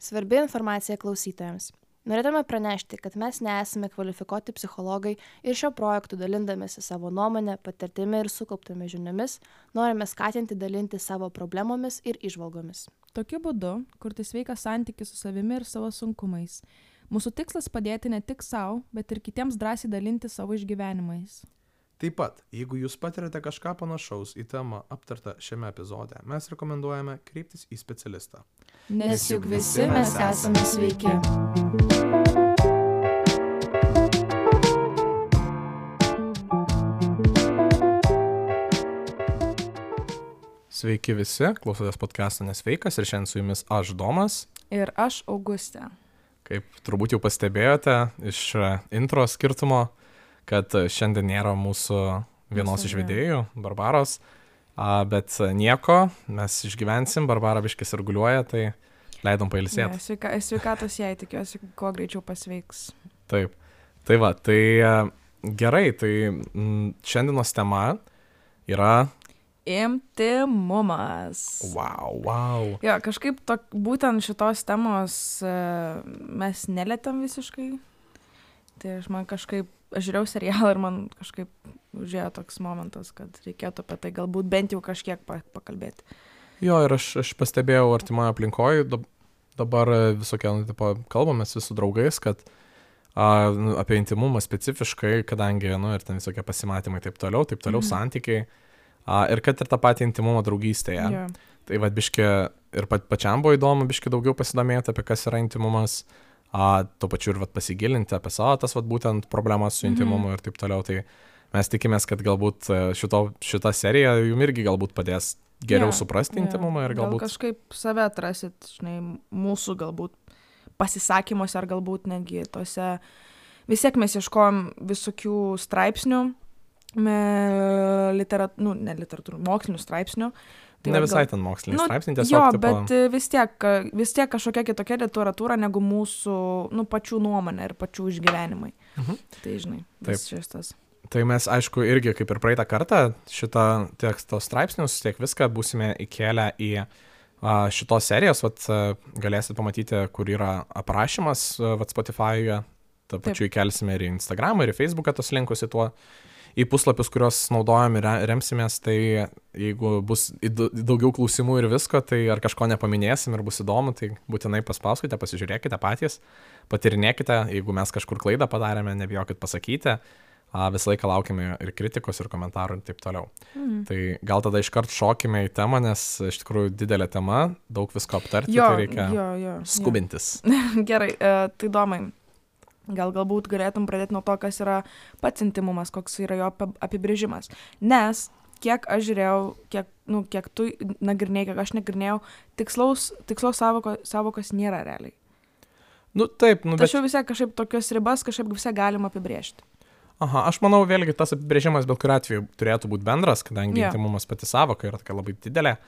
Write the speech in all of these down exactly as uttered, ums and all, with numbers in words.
Svarbi informacija klausytojams. Norėtume pranešti, kad mes nesame kvalifikuoti psichologai ir šio projektu dalindamėsi savo nuomonę, patirtimi ir sukauptomis žiniomis, norime skatinti dalinti savo problemomis ir įžvalgomis. Tokiu būdu kurti sveiką santykį su savimi ir savo sunkumais. Mūsų tikslas padėti ne tik savo, bet ir kitiems drąsiai dalinti savo išgyvenimais. Taip pat, jeigu jūs patirate kažką panašaus į temą aptartą šiame epizode, mes rekomenduojame kreiptis į specialistą. Nes juk visi mes esame sveiki. Sveiki visi, klausotės podcast'o Nesveikas ir šiandien su jumis aš Domas. Ir aš Augustė. Kaip turbūt jau pastebėjote iš intro skirtumo, kad šiandien nėra mūsų vienos iš vedėjų, Barbaros, a, bet nieko, mes išgyvensim, Barbara biškis irguliuoja, tai leidom pailsėti. Ja, sveika, sveikatos jai, tikiuosi, kuo greičiau pasveiks. Taip, tai va, tai gerai, tai m, šiandienos tema yra... Intimumas. Wow, wow. Jo, kažkaip to, būtent šitos temos uh, mes nelietėm visiškai. Tai aš man kažkaip, aš žiūrėjau serialą ir man kažkaip užėjo toks momentas, kad reikėtų apie tai galbūt bent jau kažkiek pakalbėti. Jo, ir aš, aš pastebėjau artimoje aplinkoje, dabar visokie, nu, tipo, kalbamės su draugais, kad a, nu, apie intimumą specifiškai, kadangi, nu, ir ten visokie pasimatymai taip toliau, taip toliau, mhm. santykiai, a, ir kad ir tą patį intimumą draugystėje. Jo. Tai va, biški, ir pa, pačiam buvo įdomu biški daugiau pasidomėti apie kas yra intimumas, a, tuo pačiu ir vat, pasigilinti apie savo tas vat, būtent problemas su intimumu mm-hmm. ir taip toliau. Tai mes tikimės, kad galbūt šito, šita serija jums irgi galbūt padės geriau yeah, suprasti yeah. intimumą ir galbūt... Gal kažkaip save atrasit, žinai, mūsų galbūt pasisakymuose ar galbūt netgi tose... Vis tiek mes ieškojom visokių straipsnių, me, literat, nu, ne literatūrų, mokslinių straipsnių. Tai ne visai gal... ten mokslinis nu, straipsnis, tiesiog... Jo, tipo... bet vis tiek, vis tiek kažkokia kitokia literatūra negu mūsų, nu, pačių nuomonė ir pačių išgyvenimai. Mhm. Tai, žinai, vis šis. Tai mes, aišku, irgi kaip ir praeitą kartą šitą teksto straipsnius, tiek viską būsime įkėlę į a, šitos serijos, vat, galėsit pamatyti, kur yra aprašymas vat, Spotify'uje, tą pačiu įkelsime ir į Instagramą, ir į Facebooką tos linkus į tuo. Į puslapius, kuriuos naudojam ir remsimės, tai jeigu bus daugiau klausimų ir visko, tai ar kažko nepaminėsim ir bus įdomu, tai būtinai paspauskite, pasižiūrėkite patys, patirinėkite, jeigu mes kažkur klaidą padarėme, nebijokit pasakyti, visą laiką laukime ir kritikos, ir komentarų ir taip toliau. Mhm. Tai gal tada iškart šokime į temą, nes iš tikrųjų didelė tema, daug visko aptarti, jo, tai reikia jo, jo, skubintis. Jo. Gerai, tai Domai. Gal galbūt galėtum pradėti nuo to, kas yra pats intimumas, koks yra jo apibrėžimas. Nes, kiek aš žiūrėjau, kiek, nu, kiek tu nagrinėjai, kiek aš nagrinėjau, tikslaus, tikslaus savoko, savokos nėra realiai. Nu, taip, nu, bet... Tačiau visai kažkaip tokios ribas kažkaip visai galima apibrėžti. Aha, aš manau, vėlgi tas apibrėžimas bet kuriuo atveju turėtų būti bendras, kadangi yeah. intimumas pati savoka yra tokia labai didelė.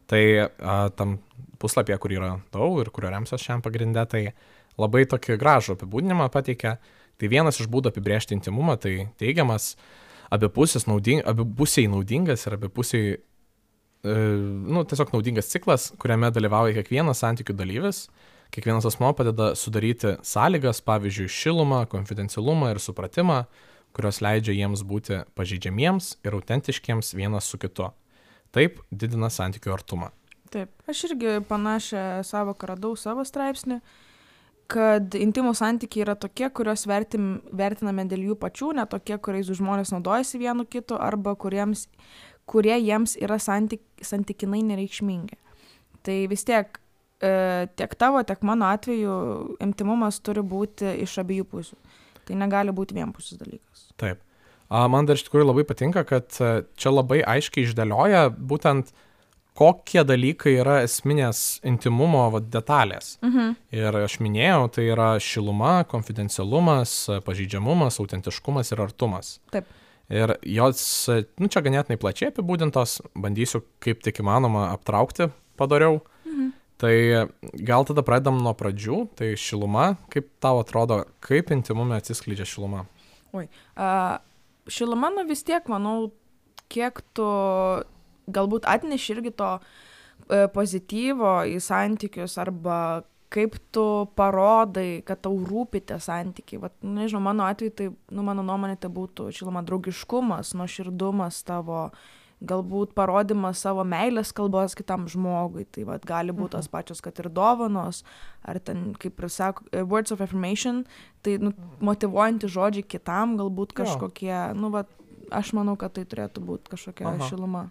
Tai a, tam puslapyje, kur yra daug ir kurio remsiuos šiam pagrinde, tai labai tokį gražų apibūdinimą pateikia. Tai vienas iš būdų apibrėžti intimumą, tai teigiamas abipusis nauding, abipusiai naudingas ir abipusiai, e, nu, tiesiog naudingas ciklas, kuriame dalyvauja kiekvienas santykių dalyvis. Kiekvienas asmuo padeda sudaryti sąlygas, pavyzdžiui, šilumą, konfidencialumą ir supratimą, kurios leidžia jiems būti pažeidžiamiems ir autentiškiems vienas su kitu. Taip didina santykių artumą. Taip, aš irgi panašią savoką radau savo straipsnį, kad intimų santykiai yra tokie, kuriuos vertim, vertiname dėl jų pačių, ne tokie, kuriais žmonės naudojasi vienu kitu, arba kuriems, kurie jiems yra santyk, santykinai nereikšmingi. Tai vis tiek, e, tiek tavo, tiek mano atveju intimumas turi būti iš abiejų pusių. Tai negali būti vienpusis dalykas. Taip. A, man dar iš tikrųjų labai patinka, kad čia labai aiškiai išdėlioja būtent kokie dalykai yra esminės intimumo va, detalės. Mhm. Ir aš minėjau, tai yra šiluma, konfidencialumas, pažeidžiamumas, autentiškumas ir artumas. Taip. Ir jos, nu, čia ganėtinai plačiai apibūdintos, bandysiu kaip tik įmanoma aptraukti padariau. Mhm. Tai gal tada pradedam nuo pradžių, tai šiluma, kaip tau atrodo, kaip intimume atsiskleidžia šiluma? Oi, uh, šiluma, nu vis tiek, manau, kiek tu galbūt atneši irgi to e, pozityvo į santykius arba kaip tu parodai, kad tau rūpi tie santykiai. Vat, nu, nežinau, mano atveju, tai, nu, mano nuomonė, tai būtų, žinoma, draugiškumas, nuoširdumas tavo, galbūt parodimas savo meilės kalbos kitam žmogui. Tai vat, gali būti tos pačios, kad ir dovanos, ar ten, kaip ir sako, words of affirmation, tai nu, motyvuojantys žodžiai kitam, galbūt kažkokie, jo. Nu, vat, aš manau, kad tai turėtų būti kažkokia Aha. šiluma.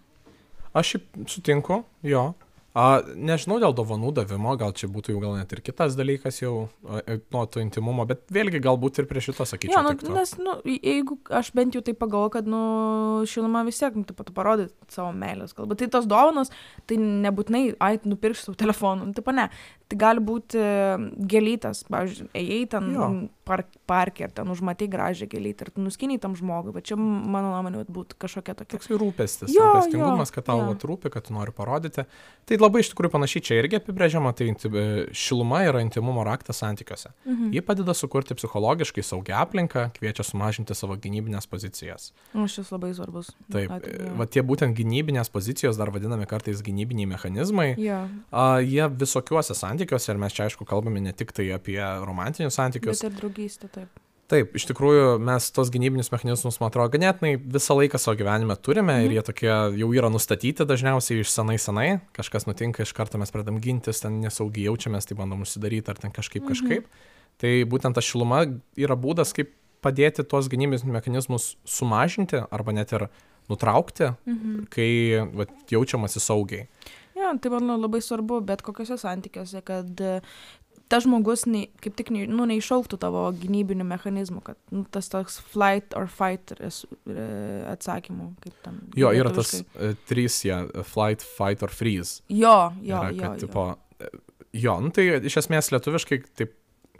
Aš sutinku, jo. A, nežinau dėl dovanų davimo, gal čia būtų jau gal net ir kitas dalykas jau nuo to intimumo, bet vėlgi galbūt ir prie šito sakyčiau. Jo, nu, nes, nu, jeigu aš bent jau tai pagalvoju, kad, nu, šiluma vis tiek, nu, taip pat parodyti savo meilės kalbą. Tai tos dovanos, tai nebūtinai, ai, nupirkti savo telefoną, nu, taip, ne. Tai gali būti gėlytas, pavyzdžiui, ėjai ten park, parke ir ten užmatai gražią gėlytę ir tu nuskiniai tam žmogui, bet čia, mano nuomonė, būtų kažkokia tokia. Toks rūpestis, rūpestingumas, kad tau rūpi, kad tu nori parodyti. Tai labai iš tikrųjų panašiai čia irgi apibrėžiama, tai šiluma yra intimumo raktas santykiuose. Mhm. Ji padeda sukurti psichologiškai saugią aplinką, kviečia sumažinti savo gynybinės pozicijas. O šis labai svarbus. Taip, Atėjau. va tie būtent gynybinės pozicijos, dar vadinami kartais gynybiniai mechanizmai, ja. a, jie visokiuose santykiuose, ir mes čia aišku kalbame ne tik tai apie romantinius santykius. Bet ir draugystę, taip. Taip, iš tikrųjų mes tos gynybinius mechanizmus, man atrodo, ganėtinai visą laiką savo gyvenime turime mhm. ir jie tokie jau yra nustatyti dažniausiai iš senai senai, kažkas nutinka, iš karto mes pradam gintis, ten nesaugiai jaučiamės, tai bandom užsidaryti ar ten kažkaip mhm. kažkaip. Tai būtent ta šiluma yra būdas, kaip padėti tos gynybinius mechanizmus sumažinti arba net ir nutraukti, mhm. kai va, jaučiamasi saugiai. Ja, tai man labai svarbu, bet kokiuose santykiuose, kad tas žmogus nei, kaip tik nei, nu, neišauktų tavo gynybinių mechanizmų, kad nu, tas toks flight or fight atsakymų. Kaip tam, jo, yra tas uh, trys, ja, flight, fight or freeze. Jo, jo, yra, jo. Kad, jo. Tipo, jo, nu, tai iš esmės lietuviškai taip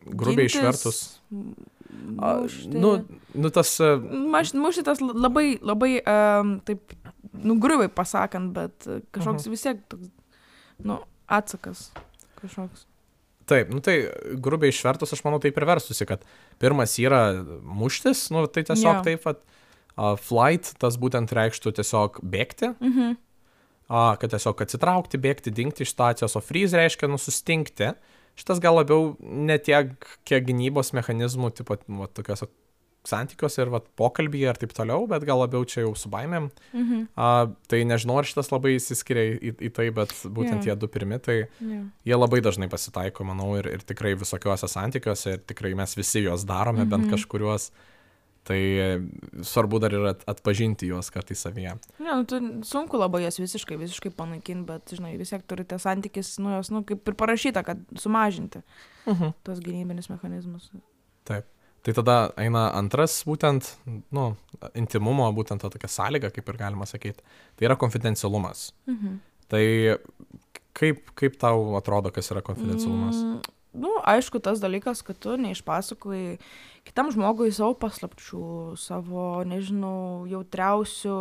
grubiai Gintis, išvertus. Mušti. A, nu, nu tas... Uh, Maš, mušti tas labai, labai, um, taip, nu, grubiai pasakant, bet kažkoks uh-huh. vis tiek toks, nu, atsakas kažkoks. Taip, nu tai grubiai išvertus, aš manau, taip ir verstusi, kad pirmas yra muštis, nu tai tiesiog yeah. taip, at, uh, flight, tas būtent reikštų tiesiog bėgti, mhm. uh, kad tiesiog atsitraukti, bėgti, dingti iš situacijos, o freeze reiškia nusustingti. Šitas gal labiau ne tiek, kiek gynybos mechanizmų, tipo, va, tokios santykiuose ir va, pokalbyje ir taip toliau, bet gal labiau čia jau su baimėm. Mhm. Uh, tai nežinau, ar šitas labai įsiskiria į, į tai, bet būtent yeah. jie du pirmi, tai yeah. jie labai dažnai pasitaiko, manau, ir, ir tikrai visokiuose santykiuose, ir tikrai mes visi juos darome, mhm. bent kažkuriuos. Tai svarbu dar ir at, atpažinti juos kartais savyje. Ne, nu, tu, sunku labai jas visiškai, visiškai panaikinti, bet, žinai, vis tiek turite santykis, nu, jos, nu, kaip ir parašyta, kad sumažinti mhm. tos gynybinis mechanizmus. Taip. Tai tada eina antras būtent, nu, intimumo, būtent to tokia sąlyga, kaip ir galima sakyti. Tai yra konfidencialumas. Mhm. Tai kaip, kaip tau atrodo, kas yra konfidencialumas? Mm, nu, aišku, tas dalykas, kad tu neišpasakoji kitam žmogui savo paslapčių, savo, nežinau, jautriausių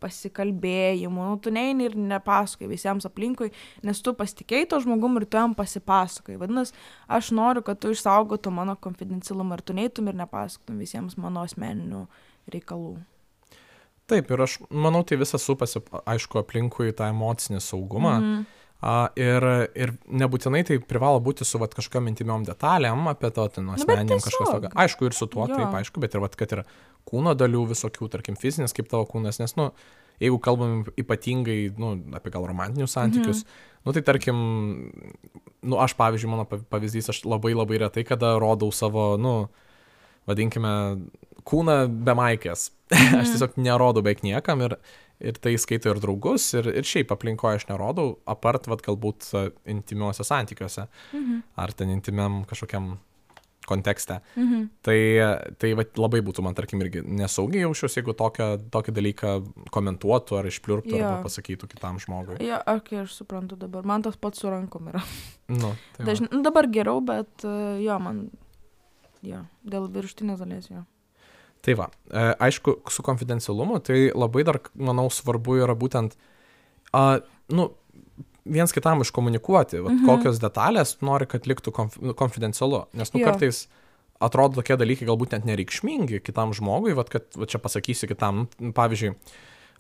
pasikalbėjimų, nu, tu neini ir nepasakoji visiems aplinkui, nes tu pasitikėjai to žmogum ir tu jam pasipasakoji. Vadinasi, aš noriu, kad tu išsaugotum mano konfidencialumą ir tu neitum ir nepasakotum visiems mano asmeninių reikalų. Taip, ir aš manau, tai visas supasi, aišku, aplinkui tą emocinį saugumą. Mhm. A, ir, ir nebūtinai tai privalo būti su vat, kažkokiam intimiom detalėm apie to, ten, asmeniniam kažkas tokio. Aišku, ir su tuo, jo. Taip, aišku, bet ir vat, kad yra kūno dalių visokių, tarkim, fizinis kaip tavo kūnas, nes, nu, jeigu kalbam ypatingai, nu, apie gal romantinius santykius, mhm. nu, tai tarkim, nu, aš, pavyzdžiui, mano pavyzdys, aš labai labai retai kada rodau savo, nu, vadinkime, kūną be maikės. Mhm. Aš tiesiog nerodau beveik niekam ir Ir tai skaito ir draugus, ir, ir šiaip aplinkoje aš nerodau, apart, vat, galbūt intimiuose santykiuose, mhm. ar ten intimiam kažkokiam kontekste. Mhm. Tai, tai vat, labai būtų man, tarkim, irgi nesaugiai jaučiuosi, jeigu tokią, tokį dalyką komentuotų ar išpliurptų, ja. Arba pasakytų kitam žmogui. Ja, okay, aš suprantu dabar. Man tas pats su rankom yra. Nu, tai Dažn... nu, dabar geriau, bet jo, man, jo, dėl viršutinės dalies, jo. Tai va, e, aišku, su konfidencialumu, tai labai dar, manau, svarbu yra būtent, a, nu, viens kitam iškomunikuoti, va, mhm. kokios detalės nori, kad liktų konf, konfidencialu. Nes, nu, jo. Kartais atrodo tokie dalykai galbūt net nereikšmingi kitam žmogui, va, kad va, čia pasakysiu kitam, nu, pavyzdžiui,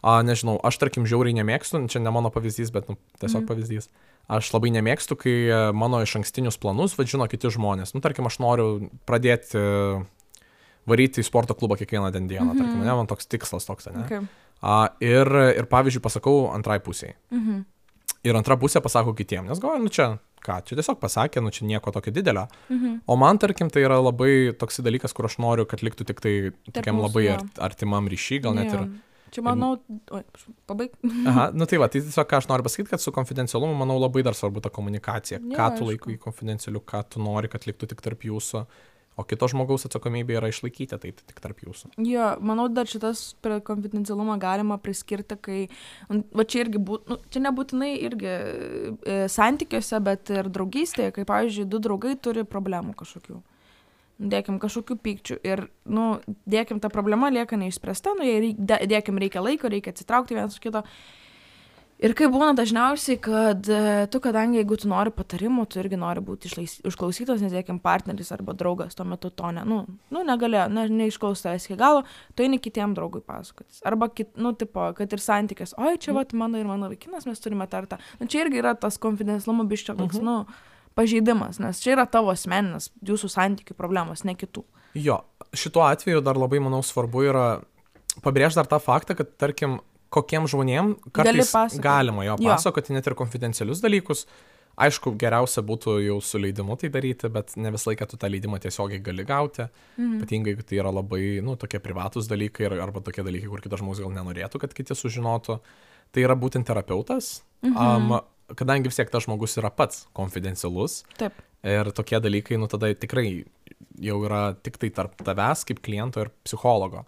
a, nežinau, aš, tarkim, žiauriai nemėgstu, čia ne mano pavyzdys, bet, nu, tiesiog mhm. pavyzdys. aš labai nemėgstu, kai mano iš ankstinius planus vadžino kiti žmonės. Nu, tarkim, aš noriu pradėti varyti į sporto klubą kiekvieną dieną, mm-hmm. tarkim, ne, man toks tikslas toks, ne. Okay. A, ir, ir pavyzdžiui, pasakau antrai pusiai. Mhm. Ir antra pusė pasako kitiem, nes galvoju, nu čia, ką, čia tiesiog pasakė, nu čia nieko tokio didelio. Mhm. O man, tarkim, tai yra labai toks dalykas, kur aš noriu, kad liktų tik tai tokiam mūsų, labai jo. artimam ryšy, gal net Jo. ir... Čia manau, oi, pabaig. Aha, nu tai va, tai tiesiog ką aš noriu pasakyti, kad su konfidencialumu, manau, labai dar svarbu ta komunikacija. Jo, Ką tu aišku. laikai konfidencialiu, ką tu nori, kad liktų tik tarp jūsų, o kito žmogaus atsakomybė yra išlaikyti tai tik tarp jūsų. Jo, manau, dar šitas prie konfidencialumą galima priskirti, kai, va čia irgi, būt, nu, čia nebūtinai irgi e, santykiuose, bet ir draugystėje, kai, pavyzdžiui, du draugai turi problemų kažkokių. Dėkim kažkokių pykčių ir, nu, dėkim, ta problema lieka neišspręsta, nu, jei reik, dėkim reikia laiko, reikia atsitraukti vienas su kito. Ir kaip būna dažniausiai, kad tu, kadangi jeigu tu nori patarimų, tu irgi nori būti išlais, išklausytas, nes, dėkim, partneris arba draugas tuo metu to ne, nu, nu negalėjo, ne, neišklaus tavęs iki galo, tu eini kitiem draugui pasakotis. Arba, kit, nu, tipo, kad ir santykis, oi, čia, vat, mano ir mano vaikinas, mes turime tartą. Nu, čia irgi yra tas konfidencialumo biščio toks, Mhm. nu, pažeidimas, nes čia yra tavo asmeninis, jūsų santykių problemos, ne kitų. Jo, šituo atveju dar labai, manau, svarbu yra pabrėžti dar tą faktą, kad, tarkim, kokiem žmonėm kartais pasakoti. galima jo Jo. pasakoti net ir konfidencialius dalykus. Aišku, geriausia būtų jau su leidimu tai daryti, bet ne visą laiką tu tą leidimą tiesiogiai gali gauti. Mhm. Ypatingai, jeigu tai yra labai, nu, tokie privatus dalykai ir- arba tokie dalykai, kur kitas žmogus gal nenorėtų, kad kiti sužinotų. Tai yra būtent terapeutas, Mhm. um, kadangi vis tiek tas žmogus yra pats konfidencialus. Taip. Ir tokie dalykai, nu, tada tikrai jau yra tik tai tarp tavęs kaip kliento ir psichologo.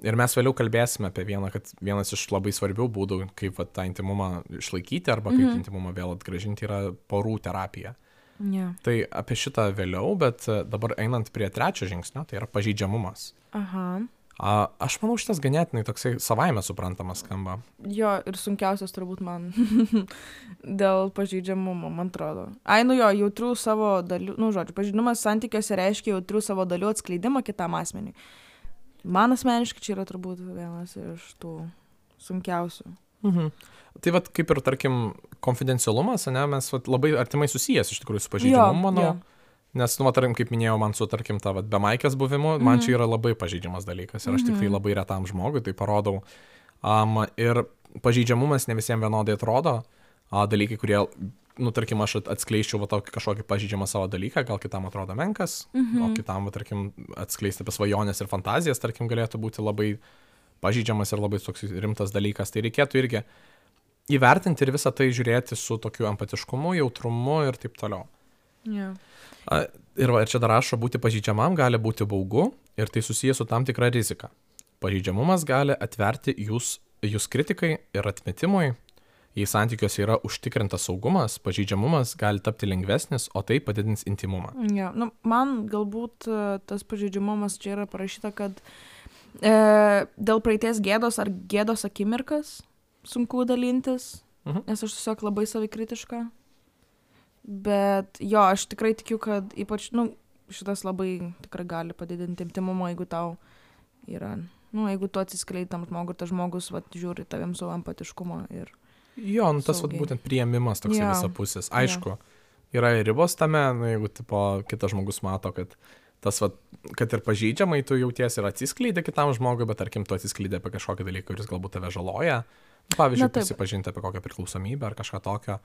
Ir mes vėliau kalbėsime apie vieną, kad vienas iš labai svarbių būdų, kaip va, tą intimumą išlaikyti arba kaip Mhm. intimumą vėl atgrąžinti, yra porų terapija. Yeah. Tai apie šitą vėliau, bet e, dabar einant prie trečio žingsnio, tai yra pažeidžiamumas. Aha. A, aš manau, šitas ganėtinai toksai savaime suprantamas skamba. Jo, ir sunkiausias turbūt man dėl pažeidžiamumo, man atrodo. Ai, nu jo, jautrių savo dalių, nu, žodžiu, pažeidimas santykiuose reiškia jautrių savo dalių atskleidimą kitam asmeniui. Man asmeniškai čia yra turbūt vienas iš tų sunkiausių. Mhm. Tai vat kaip ir, tarkim, konfidencialumas, ne, mes vat, labai artimai susijęs iš tikrųjų su pažeidžiamumu, manau. jo. Nes, nu, va, tarkim, kaip minėjau, man su, tarkim, ta vat, bemaikės buvimu, mm-hmm. man čia yra labai pažeidžiamas dalykas ir aš mm-hmm. tik tai labai retam žmogui tai parodau. Um, ir pažeidžiamumas ne visiems vienodai atrodo. A, dalykai, kurie, nu, tarkim, aš atskleisčiau va, tokį kažkokį pažeidžiamą savo dalyką, gal kitam atrodo menkas, mm-hmm. o kitam, va, tarkim, atskleisti apie svajonės ir fantazijas, tarkim, galėtų būti labai pažeidžiamas ir labai toks rimtas dalykas. Tai reikėtų irgi įvertinti ir visą tai žiūrėti su tokiu empatiškumu, jautrumu ir taip toliau. Yeah. A, ir, va, ir čia dar rašo, būti pažeidžiamam gali būti baugu ir tai susijęs su tam tikra rizika. Pažeidžiamumas gali atverti jūs, jūs kritikai ir atmetimui. Jei santykiuose yra užtikrintas saugumas, pažeidžiamumas gali tapti lengvesnis, o tai padidins intimumą. Ja, nu, man galbūt e, tas pažeidžiamumas čia yra parašyta, kad e, dėl praeities gėdos ar gėdos akimirkas sunku dalintis, Mhm. nes aš tiesiog labai savikritiška. Bet jo, aš tikrai tikiu, kad ypač, nu, šitas labai tikrai gali padidinti intimumą, jeigu tau yra, nu, jeigu tu atsiskleidi tam žmogui ir tas žmogus, vat, žiūri tavim su empatiškumo ir... Jo, nu, tas vat, Saugiai. būtent priėmimas toksai Jo. visapusis. Aišku, yra ir ribos tame, nu, jeigu tipo, kitas žmogus mato, kad tas, vat, kad ir pažeidžiamai tu jauties ir atsiskleidė kitam žmogui, bet tarkim, tu atsiskleidė apie kažkokį dalyką, kuris galbūt tave žaloja. Pavyzdžiui, Na, taip. prisipažinti apie kokią priklausomybę ar kažką tokio.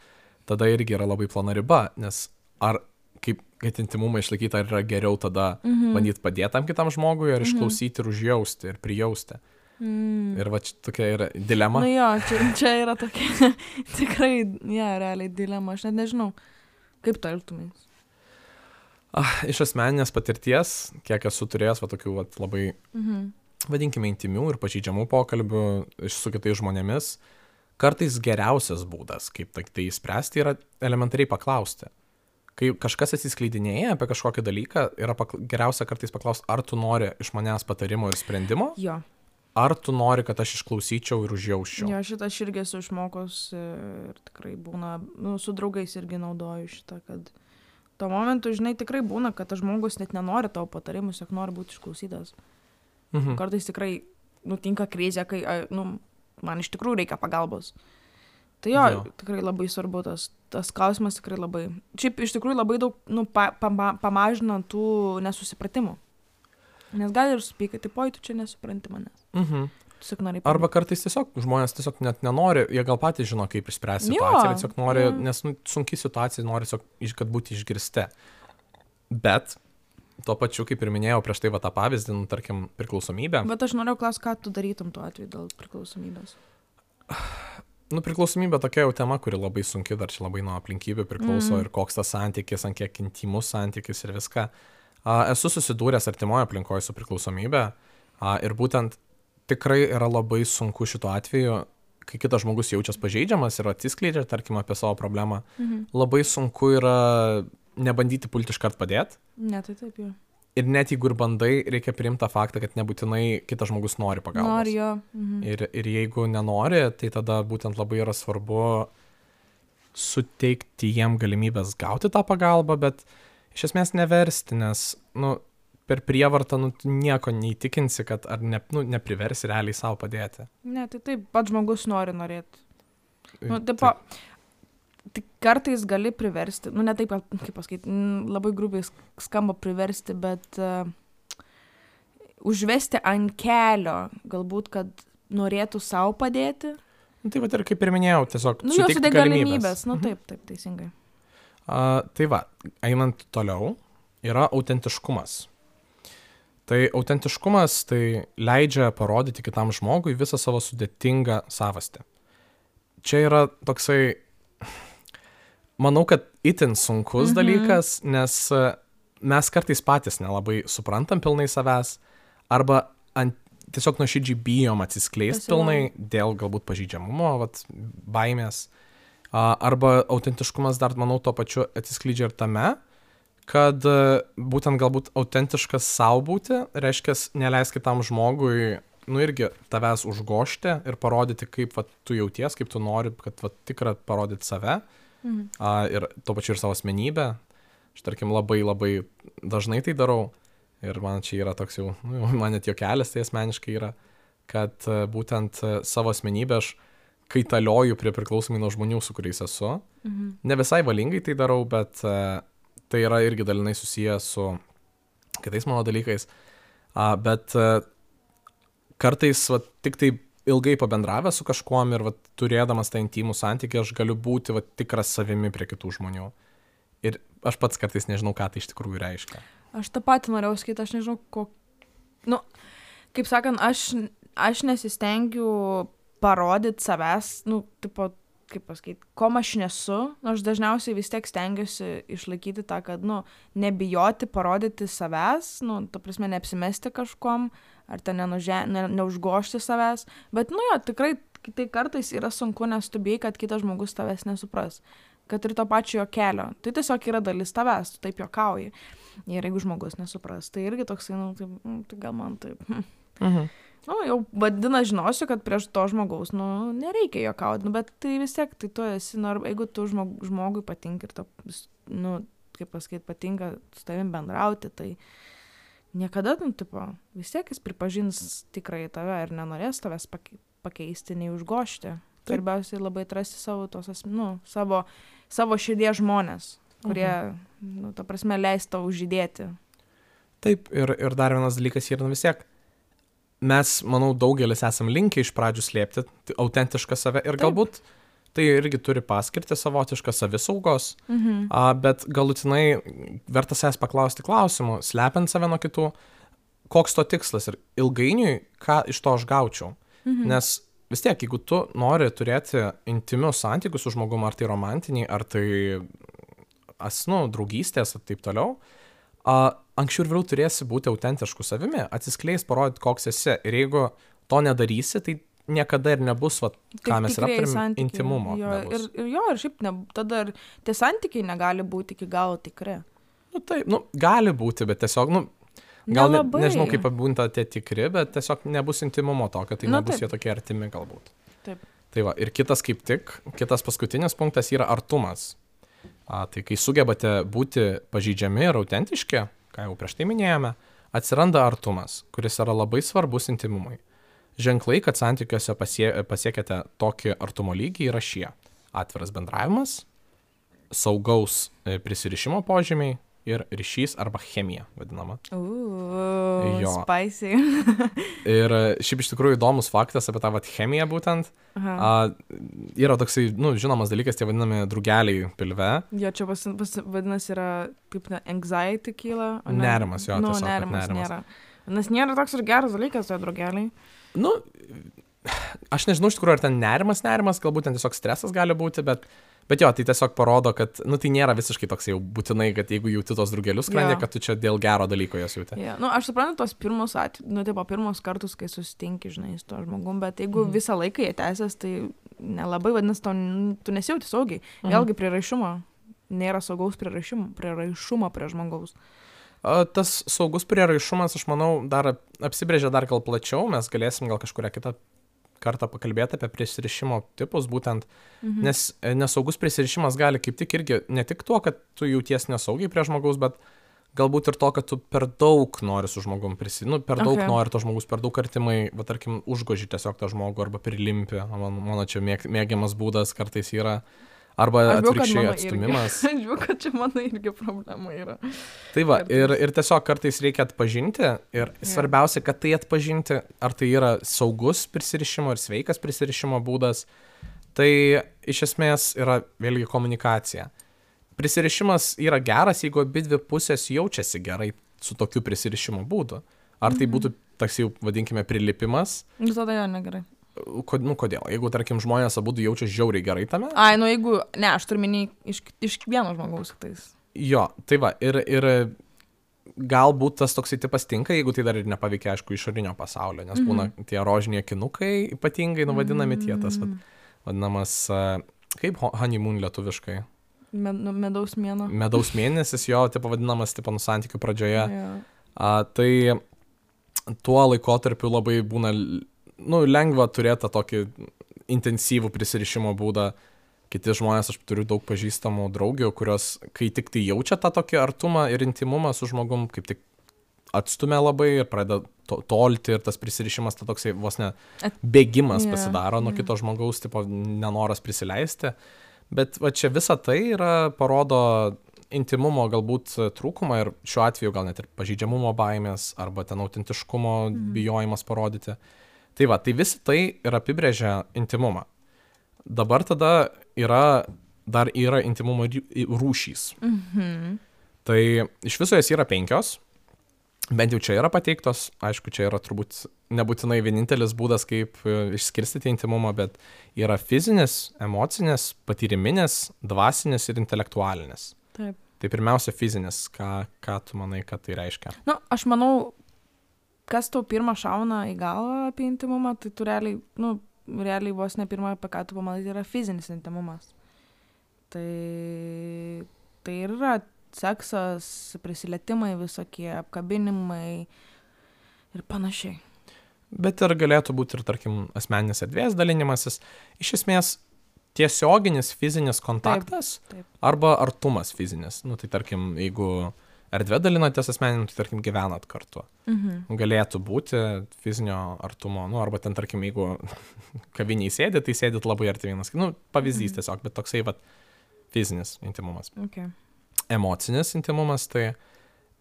Tada irgi yra labai plona riba, nes ar kaip, kad intimumą išlaikyti, ar yra geriau tada Mhm. bandyti padėti tam kitam žmogui, ar Mhm. išklausyti ir užjausti ir prijausti. Mm. Ir va čia tokia yra dilema. Na jo, čia, čia yra tokia tikrai, ja, realiai dilema, aš net nežinau, kaip to elgtumės. Ah, iš asmeninės patirties, kiek esu turėjęs va, tokių va, labai, Mhm. vadinkime, intimių ir pažeidžiamų pokalbių iš- su kitais žmonėmis, kartais geriausias būdas, kaip tai, tai spręsti, yra elementariai paklausti. Kai kažkas atsiskleidinėja apie kažkokį dalyką, yra pakla... geriausia kartais paklausti, ar tu nori iš manęs patarimo ir sprendimo, Jo, ar tu nori, kad aš išklausyčiau ir užjausčiau. jo, šitą aš irgi esu išmokus ir tikrai būna, nu, su draugais irgi naudoju šitą, kad tuo momentu, žinai, tikrai būna, kad tas žmogus net nenori tavo patarimus, tiesiog nori būti išklausytas. Mhm. Kartais tikrai nutinka krizė, kai, a, nu, man iš tikrųjų reikia pagalbos. Tai jo, Jo. tikrai labai svarbu tas, tas klausimas tikrai labai. Šiaip iš tikrųjų labai daug nu, pa, pa, pamažina tų nesusipratimų. Nes gali ir supykti, tipo, tu čia nesupranti manęs. Mhm. Tiesiog nori Arba kartais tiesiog žmonės tiesiog net nenori, jie gal patys žino, kaip išspręsti Jo, situaciją, bet tiesiog nori, jo. nes nu, sunki situacija, nori tiesiog, iš- kad būti išgirsti. Bet tuo pačiu, kaip ir minėjau prieš tai va tą pavyzdį, nu, tarkim, priklausomybę. Bet aš noriu klausti, ką tu darytum tuo atveju dėl priklausomybės. Nu, priklausomybė tokia jau tema, kuri labai sunki, dar čia labai nuo aplinkybių priklauso Mhm. ir koks tas santykis, ant kiek intimus santykis ir viską. A, esu susidūręs artimoje aplinkoje su priklausomybė a, ir būtent tikrai yra labai sunku šituo atveju, kai kitas žmogus jaučiasi pažeidžiamas ir atsiskleidžia, tarkim, apie savo problemą, Mhm. labai sunku yra nebandyti pulti iškart padėti. Ne, tai taip jau. Ir net jeigu ir bandai, reikia priimti tą faktą, kad nebūtinai kitas žmogus nori pagalbos. Nori jo. Mhm. Ir, ir jeigu nenori, tai tada būtent labai yra svarbu suteikti jiem galimybės gauti tą pagalbą, bet iš esmės neversti, nes nu, per prievartą nu, tu nieko neįtikinsi, kad ar ne, nu, nepriversi realiai savo padėti. Ne, tai taip, pats žmogus nori norėti. Nu, Taip. tipo, tik kartais gali priversti, nu ne taip, kaip pasakyti, mm, labai grubiai sk- skamba priversti, bet uh, užvesti ant kelio, galbūt, kad norėtų savo padėti. Nu, tai va ir kaip ir minėjau, tiesiog Nu, jos suteikti sudėk galimybės. galimybės. Nu Mhm. taip, taip, teisingai. A, tai va, einant toliau, yra autentiškumas. Tai autentiškumas tai leidžia parodyti kitam žmogui visą savo sudėtingą savastį. Čia yra toksai, manau, kad itin sunkus Mhm. dalykas, nes e, mes kartais patys nelabai suprantam pilnai savęs, arba ant, tiesiog nuoširdžiai bijom atsiskleisti Tas yra. pilnai dėl galbūt pažeidžiamumo, vat, baimės. A, arba autentiškumas dar, manau, tuo pačiu atsiskleidžia ir tame, kad e, būtent galbūt autentiškas savo būti, reiškia, neleis kitam žmogui, nu irgi tavęs užgošti ir parodyti, kaip va, tu jauties, kaip tu nori, kad va, tikrai parodyti save Mhm. a, ir tuo pačiu ir savo asmenybę. Aš tarkim labai labai dažnai tai darau ir man čia yra toks jau, nu, jau man net juokelis tai asmeniškai yra, kad e, būtent e, savo asmenybę aš kaitalioju prie priklausomai nuo žmonių, su kuriais esu. Mhm. Ne visai valingai tai darau, bet e, tai yra irgi dalinai susijęs su kitais mano dalykais. A, bet e, kartais va, tik tai ilgai pabendravęs su kažkuom ir va, turėdamas tą intimų santykį, aš galiu būti va, tikras savimi prie kitų žmonių. Ir aš pats kartais nežinau, ką tai iš tikrųjų reiškia. Aš tą patį norėjau sakyti, aš nežinau, ko... Nu, kaip sakant, aš, aš nesistengiu parodyti savęs, nu, tipo, kaip pasakyti, kom aš nesu. Nu, aš dažniausiai vis tiek stengiuosi išlaikyti tą, kad, nu, nebijoti parodyti savęs, nu, ta prasme, neapsimesti kažkom, ar ten nenuže, ne, neužgošti savęs. Bet, nu jo, tikrai tai kartais yra sunku, nes tu bijai, kad kitas žmogus tavęs nesupras. Kad ir to pačio jo kelio. Tai tiesiog yra dalis tavęs, tu taip juokauji. Ir jeigu žmogus nesupras, tai irgi toksai, nu, tai, nu, tai gal man taip. Mhm. Nu, jau vadina, žinosiu, kad prieš to žmogaus, nu, nereikia juokauti, nu, bet tai vis tiek, tai tu esi, nu, jeigu tu žmog, žmogui patinka ir to, nu, kaip pasakyti, patinka su tavim bendrauti, tai niekada, nu, tipo, vis tiek jis pripažins tikrai tave ir nenorės tavęs pake- pakeisti, nei užgošti. Svarbiausiai labai atrasti savo, tos, as- nu, savo, savo širdies žmonės, kurie, mhm. nu, ta prasme, leis tau žydėti. Taip, ir, ir dar vienas dalykas yra, nu vis tiek, mes, manau, daugelis esam linkę iš pradžių slėpti tai autentišką save ir Taip. galbūt tai irgi turi paskirti savotišką savisaugos, Mhm. a, bet galutinai verta savęs paklausti klausimų, slepiant save nuo kitų, koks to tikslas ir ilgainiui, ką iš to aš gaučiau. Mhm. Nes vis tiek, jeigu tu nori turėti intimius santykius su žmogum, ar tai romantiniai, ar tai asnu, draugystės ir taip toliau, a, anksčiau ir vėliau turėsi būti autentišku savimi, atsiskleis, parodyti, koks esi. Ir jeigu to nedarysi, tai niekada ir nebus, va, ką mes ir tikrieji aptarėm, santykiai, intimumo. Jo, nebus. ir, ir jo, ir šiaip ne, tada ir tie santykiai negali būti iki galo tikri. Nu, taip, nu, gali būti, bet tiesiog, nu, gal ne, Nelabai. nežinau, kaip apibūnta tie tikri, bet tiesiog nebus intimumo tokio, tai Nu, nebus taip. jie tokie artimi galbūt. Taip. Tai va, ir kitas kaip tik, kitas paskutinis punktas yra artumas. A, tai kai sugebate būti pažeidžiami ir autentiški, ką jau prieš tai minėjome, atsiranda artumas, kuris yra labai svarbus intimumui. Ženklai, kad santykiuose pasie, pasiekėte tokį artumo lygį, yra šie. atviras bendravimas, saugaus e, prisirišimo požymiai ir ryšys arba chemija vadinama. Uuu, Jo. spicy. Ir e, šiaip iš tikrųjų įdomus faktas apie tą vat chemiją būtent. Aha. A, yra toksai, nu, žinomas dalykas, tie vadinami drugeliai pilve. Jo, čia pas, pas, vadinasi yra, kaip ne, anxiety kyla. o ne? Nerimas, jo, nu, tiesiog, kad nerimas, nerimas. nėra. Nes nėra toks ir geras dalykas, tai drugeliai. Nu, aš nežinau iš tikrųjų, ar ten nerimas, nerimas, galbūt ten tiesiog stresas gali būti, bet, bet jo, tai tiesiog parodo, kad, nu, tai nėra visiškai toks jau būtinai, kad jeigu jauti tos drugelius skrandė, Jo. kad tu čia dėl gero dalyko jas jauti. Yeah. Nu, aš suprantu tos pirmus, at, nu, tipo, pirmus kartus, kai susitinki, žinai, su to žmogum, bet jeigu Mhm. visą laiką jie tęsias, tai nelabai, vadinasi, to, tu nesijauti saugiai. Mhm. Vėlgi priraišumo. Nėra saugaus priraišumo, priraišumo prie žmogaus. A, tas saugus prieraišumas, aš manau, dar apsibrėžia dar gal plačiau, mes galėsim gal kažkuria kitą kartą pakalbėti apie prisirišimo tipus būtent, Mhm. nes e, nesaugus prisirišimas gali kaip tik irgi ne tik tuo, kad tu jauties nesaugiai prie žmogaus, bet galbūt ir to, kad tu per daug nori su žmogum prisirišti, nu, per daug Okay. nori to žmogus, per daug artimai, va tarkim, užgoži tiesiog tą žmogų arba prilimpi, man, mano čia mėg, mėgiamas būdas kartais yra, arba Aš bijau, kad atvirkščiai mano atstumimas. irgi. Aš žinau, kad čia mano irgi problema yra. Tai va, Kartais. ir, ir tiesiog kartais reikia atpažinti ir svarbiausia, kad tai atpažinti, ar tai yra saugus prisirišimo ir sveikas prisirišimo būdas, tai iš esmės yra vėlgi komunikacija. Prisirišimas yra geras, jeigu abi dvi pusės jaučiasi gerai su tokiu prisirišimo būdu. Ar tai būtų toks jau, vadinkime, prilipimas, Nu, tada jo negerai. Ko, nu kodėl? Jeigu, tarkim, žmonės abu jaučia žiauriai gerai tame, Ai, nu jeigu, ne, aš turiu minį iš, iš vieno žmogaus tais. jo, tai va, ir, ir galbūt tas toksai tipas tinka, jeigu tai dar ir nepaveikia, aišku, išorinio pasaulio, nes būna tie rožiniai akinukai ypatingai, nu, vadinami tie, tas vad, vadinamas, a, kaip ho- honeymoon lietuviškai, Med, nu, medaus mėno. medaus mėnesis, jo, tipo vadinamas, tipo, nu, santykių pradžioje, Jo. a, tai tuo laikotarpiu labai būna, nu, lengva turėti tą tokį intensyvų prisirišimo būdą. Kiti žmonės, aš turiu daug pažįstamų draugių, kurios, kai tik tai jaučia tą tokį artumą ir intimumą su žmogum, kaip tik atstumia labai ir pradeda to, tolti ir tas prisirišimas, ta toksai vos ne At- bėgimas Jo, pasidaro nuo jo. kito žmogaus, tipo nenoras prisileisti. Bet va čia visa tai yra, parodo intimumo galbūt trūkumą ir šiuo atveju gal net ir pažeidžiamumo baimės arba ten autentiškumo bijojimas parodyti. Tai va, tai visa tai ir apibrėžia intimumą. Dabar tada yra, dar yra intimumo ry- rūšys. Mhm. Tai iš viso jas yra penkios, bent jau čia yra pateiktos, aišku, čia yra turbūt nebūtinai vienintelis būdas, kaip e, išskirstyti intimumą, bet yra fizinis, emocinis, patyriminis, dvasinis ir intelektualinis. Taip. Tai pirmiausia fizinis, ką, ką tu manai, kad tai reiškia? Nu, aš manau, kas tau pirmą šauna į galvą apie intimumą, tai tu realiai, nu, realiai vos ne pirmą, apie ką tu pamanai, tai yra fizinis intimumas. Tai, tai ir yra seksas, prisilietimai visokie, apkabinimai ir panašiai. Bet ir galėtų būti ir, tarkim, asmeninės erdvės dalinimasis. Iš esmės, tiesioginis fizinis kontaktas taip. arba artumas fizinis. Nu, tai tarkim, jeigu erdvė dalinatės asmenim, tai tarkim, gyvenat kartu. Mhm. Galėtų būti fizinio artumo, nu, arba ten, tarkim, jeigu kaviniai sėdit, tai sėdit labai arti vienas. Nu, pavyzdys tiesiog, bet toksai, vat, fizinis intimumas. Okay. Emocinis intimumas, tai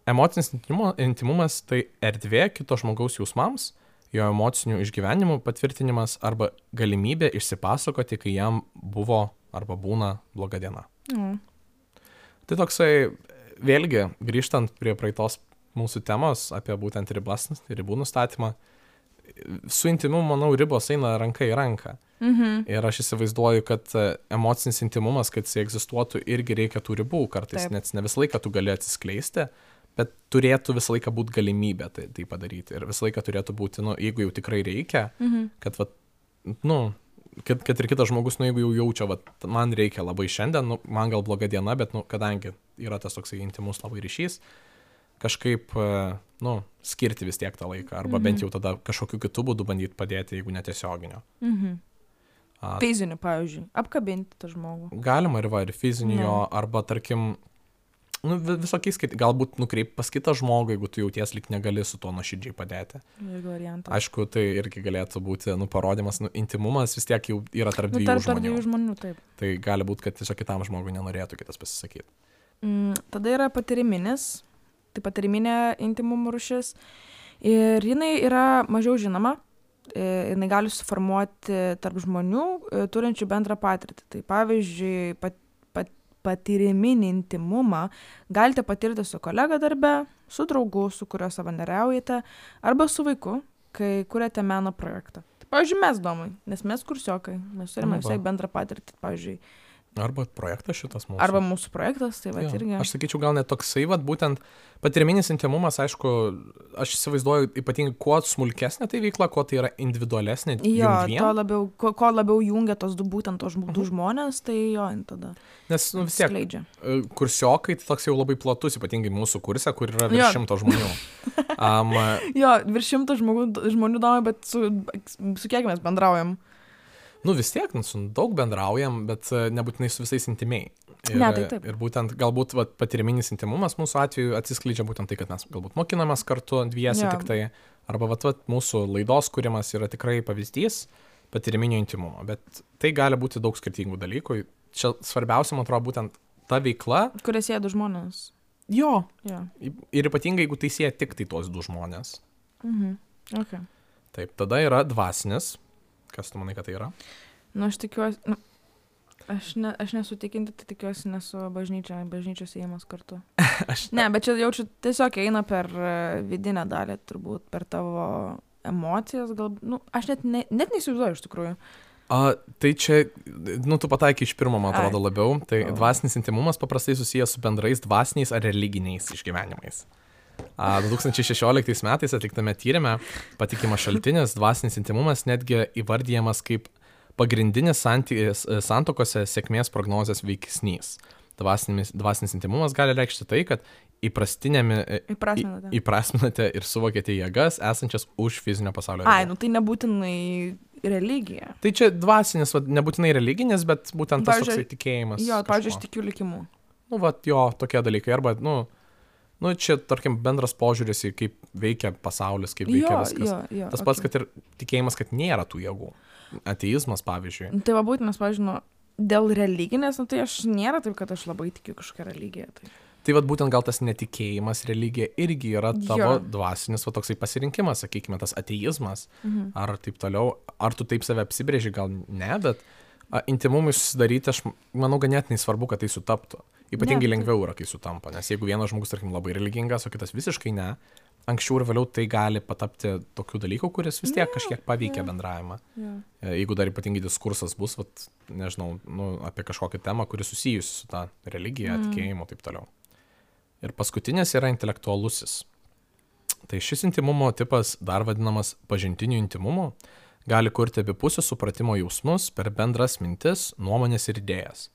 emocinis intimu- intimumas, tai erdvė kito žmogaus jausmams, jo emocinių išgyvenimų patvirtinimas arba galimybė išsipasakoti, kai jam buvo arba būna bloga diena. Mm. Tai toksai, vėlgi, grįžtant prie praeitos mūsų temos apie būtent ribas, ribų nustatymą, su intimumu, manau, ribos eina ranka į ranką. Mhm. Ir aš įsivaizduoju, kad e, emocinis intimumas, kad jis egzistuotų, irgi reikia tų ribų kartais, Taip. nes ne visą laiką tu gali atsiskleisti, bet turėtų visą laiką būti galimybė tai, tai padaryti. Ir visą laiką turėtų būti, nu, jeigu jau tikrai reikia, Mhm. kad, vat, nu, kad, kad ir kitas žmogus, nu, jeigu jau jaučia, vat, man reikia labai šiandien, nu, man gal bloga diena, bet, nu, kadangi yra tas toksai intimus labai ryšys, kažkaip, e, nu, skirti vis tiek tą laiką, arba Mhm. bent jau tada kažkokiu kitų būdų bandyti padėti, jeigu netiesioginio. Mhm. A, Fiziniu, pavyzdžiui, apkabinti tą žmogų. Galima ir va, ir fizinio, Jo. arba tarkim, nu, visokiais, galbūt nukreip pas kitą žmogų, jeigu tu jauties lyg negali su tuo nuoširdžiai padėti. Aišku, tai irgi galėtų būti, nu, parodymas, nu, intimumas vis tiek jau yra tarp dviejų nu, tarp, žmonių. Tarp dviejų žmonių, taip. Tai gali būti, kad tiesiog kitam žmogui nenorėtų kitas pasisakyti. Mm, tada yra patyriminis, tai patyriminė intimumo rūšis ir jinai yra mažiau žinoma. Jinai gali suformuoti tarp žmonių turinčių bendrą patirtį. Tai pavyzdžiui, pat, pat, patyriminį intimumą galite patirti su kolega darbe, su draugu, su kuriuo savanoriaujate, arba su vaiku, kai kuriate meno projektą. Tai, pavyzdžiui, mes domai, nes mes kursiokai, mes turime visai bendrą patirtį, pavyzdžiui. Arba projektas šitas mūsų. Arba mūsų projektas, tai va irgi. Aš sakyčiau, gal net toksai, vat, būtent patyriminis intimumas, aišku, aš įsivaizduoju ypatingai, kuo smulkesnė tai veikla, kuo tai yra individualesnė. Jo, to labiau, ko, ko labiau jungia tos du būtent tos du uh-huh. žmonės, tai jo, tada. Nes nu, vis tiek, skleidžia. Kursiokai tai toks jau labai platus, ypatingai mūsų kurse, kur yra virš šimto žmonių. um, jo, virš šimto žmonių, žmonių davai, bet su, su kiek mes bendraujam. Nu vis tiek, nu, su daug bendraujam, bet nebūtinai su visais intimiai. Ir, ne, tai taip. Ir būtent galbūt vat, patyriminis intimumas mūsų atveju atsiskleidžia būtent tai, kad mes galbūt mokinamės kartu dviesi ja. Tik tai. Arba vat, vat, mūsų laidos kūrimas yra tikrai pavyzdys patyriminio intimumo. Bet tai gali būti daug skirtingų dalykų. Čia svarbiausia, man atrodo, būtent ta veikla. Kurie sieja du žmonės. Jo. Ja. Ir ypatingai, jeigu tai sieja tik tai tuos du žmonės. Mhm. Okay. Taip, tada yra dvasinis. Kas tu manai, kad tai yra? Nu, aš tikiuosi, nu, aš, ne, aš nesu tikinti, tai tikiuosi nesu bažnyčia, bažnyčios įėjimas kartu. aš... Ne, bet čia jaučiu tiesiog eina per vidinę dalį, turbūt, per tavo emocijas, gal, nu, aš net, ne, net neįsivaizduoju iš tikrųjų. A, tai čia, nu, tu pataikai iš pirmo, man atrodo, Ai. Labiau. Tai oh. dvasinis intimumas paprastai susijęs su bendrais dvasiniais ar religiniais išgyvenimais. du tūkstančiai šešioliktais metais atliktame tyrime patikimas šaltinis dvasinis intimumas netgi įvardijamas kaip pagrindinis santykis santuokose sėkmės prognozės veiksnys. Dvasinis, dvasinis intimumas gali reikšti tai, kad įprasminate. įprasminate ir suvokėte jėgas esančias už fizinio pasaulio. Ai, nu tai nebūtinai religija. Tai čia dvasinis, va, nebūtinai religinis, bet būtent tas toksai tikėjimas. Jo, pavyzdžiui, aš tikiu likimu. Nu, va, jo, tokie dalykai. Arba, nu, nu, čia, tarkim, bendras požiūris į kaip veikia pasaulis, kaip veikia jo, viskas. Jo, jo, tas okay. pats, kad ir tikėjimas, kad nėra tų jėgų. Ateizmas, pavyzdžiui. Tai va būtent, nes, pavyzdžiui, nu, dėl religinės, nu, tai aš nėra taip, kad aš labai tikiu kažkokią religiją. Tai, tai va būtent gal tas netikėjimas religija irgi yra tavo jo. Dvasinis va toksai pasirinkimas, sakykime, tas ateizmas. Mhm. Ar taip toliau. Ar tu taip save apsibrėži, gal ne, bet a, intimumui susidaryti, aš manau, ganėtinai svarbu, kad tai sutaptų. Ypatingai ne, lengviau yra, kai sutampa, nes jeigu vienas žmogus, tarkim, labai religingas, o kitas visiškai ne, anksčiau ir vėliau tai gali patapti tokių dalykų, kuris vis tiek kažkiek paveikia bendravimą. Ja. Jeigu dar ypatingai diskursas bus, vat, nežinau, nu, apie kažkokią temą, kuri susijusi su ta religija, mm. tikėjimu ir taip toliau. Ir paskutinis yra intelektualusis. Tai šis intimumo tipas, dar vadinamas pažintiniu intimumu, gali kurti abipusių supratimo jausmus per bendras mintis, nuomonės ir idėjas.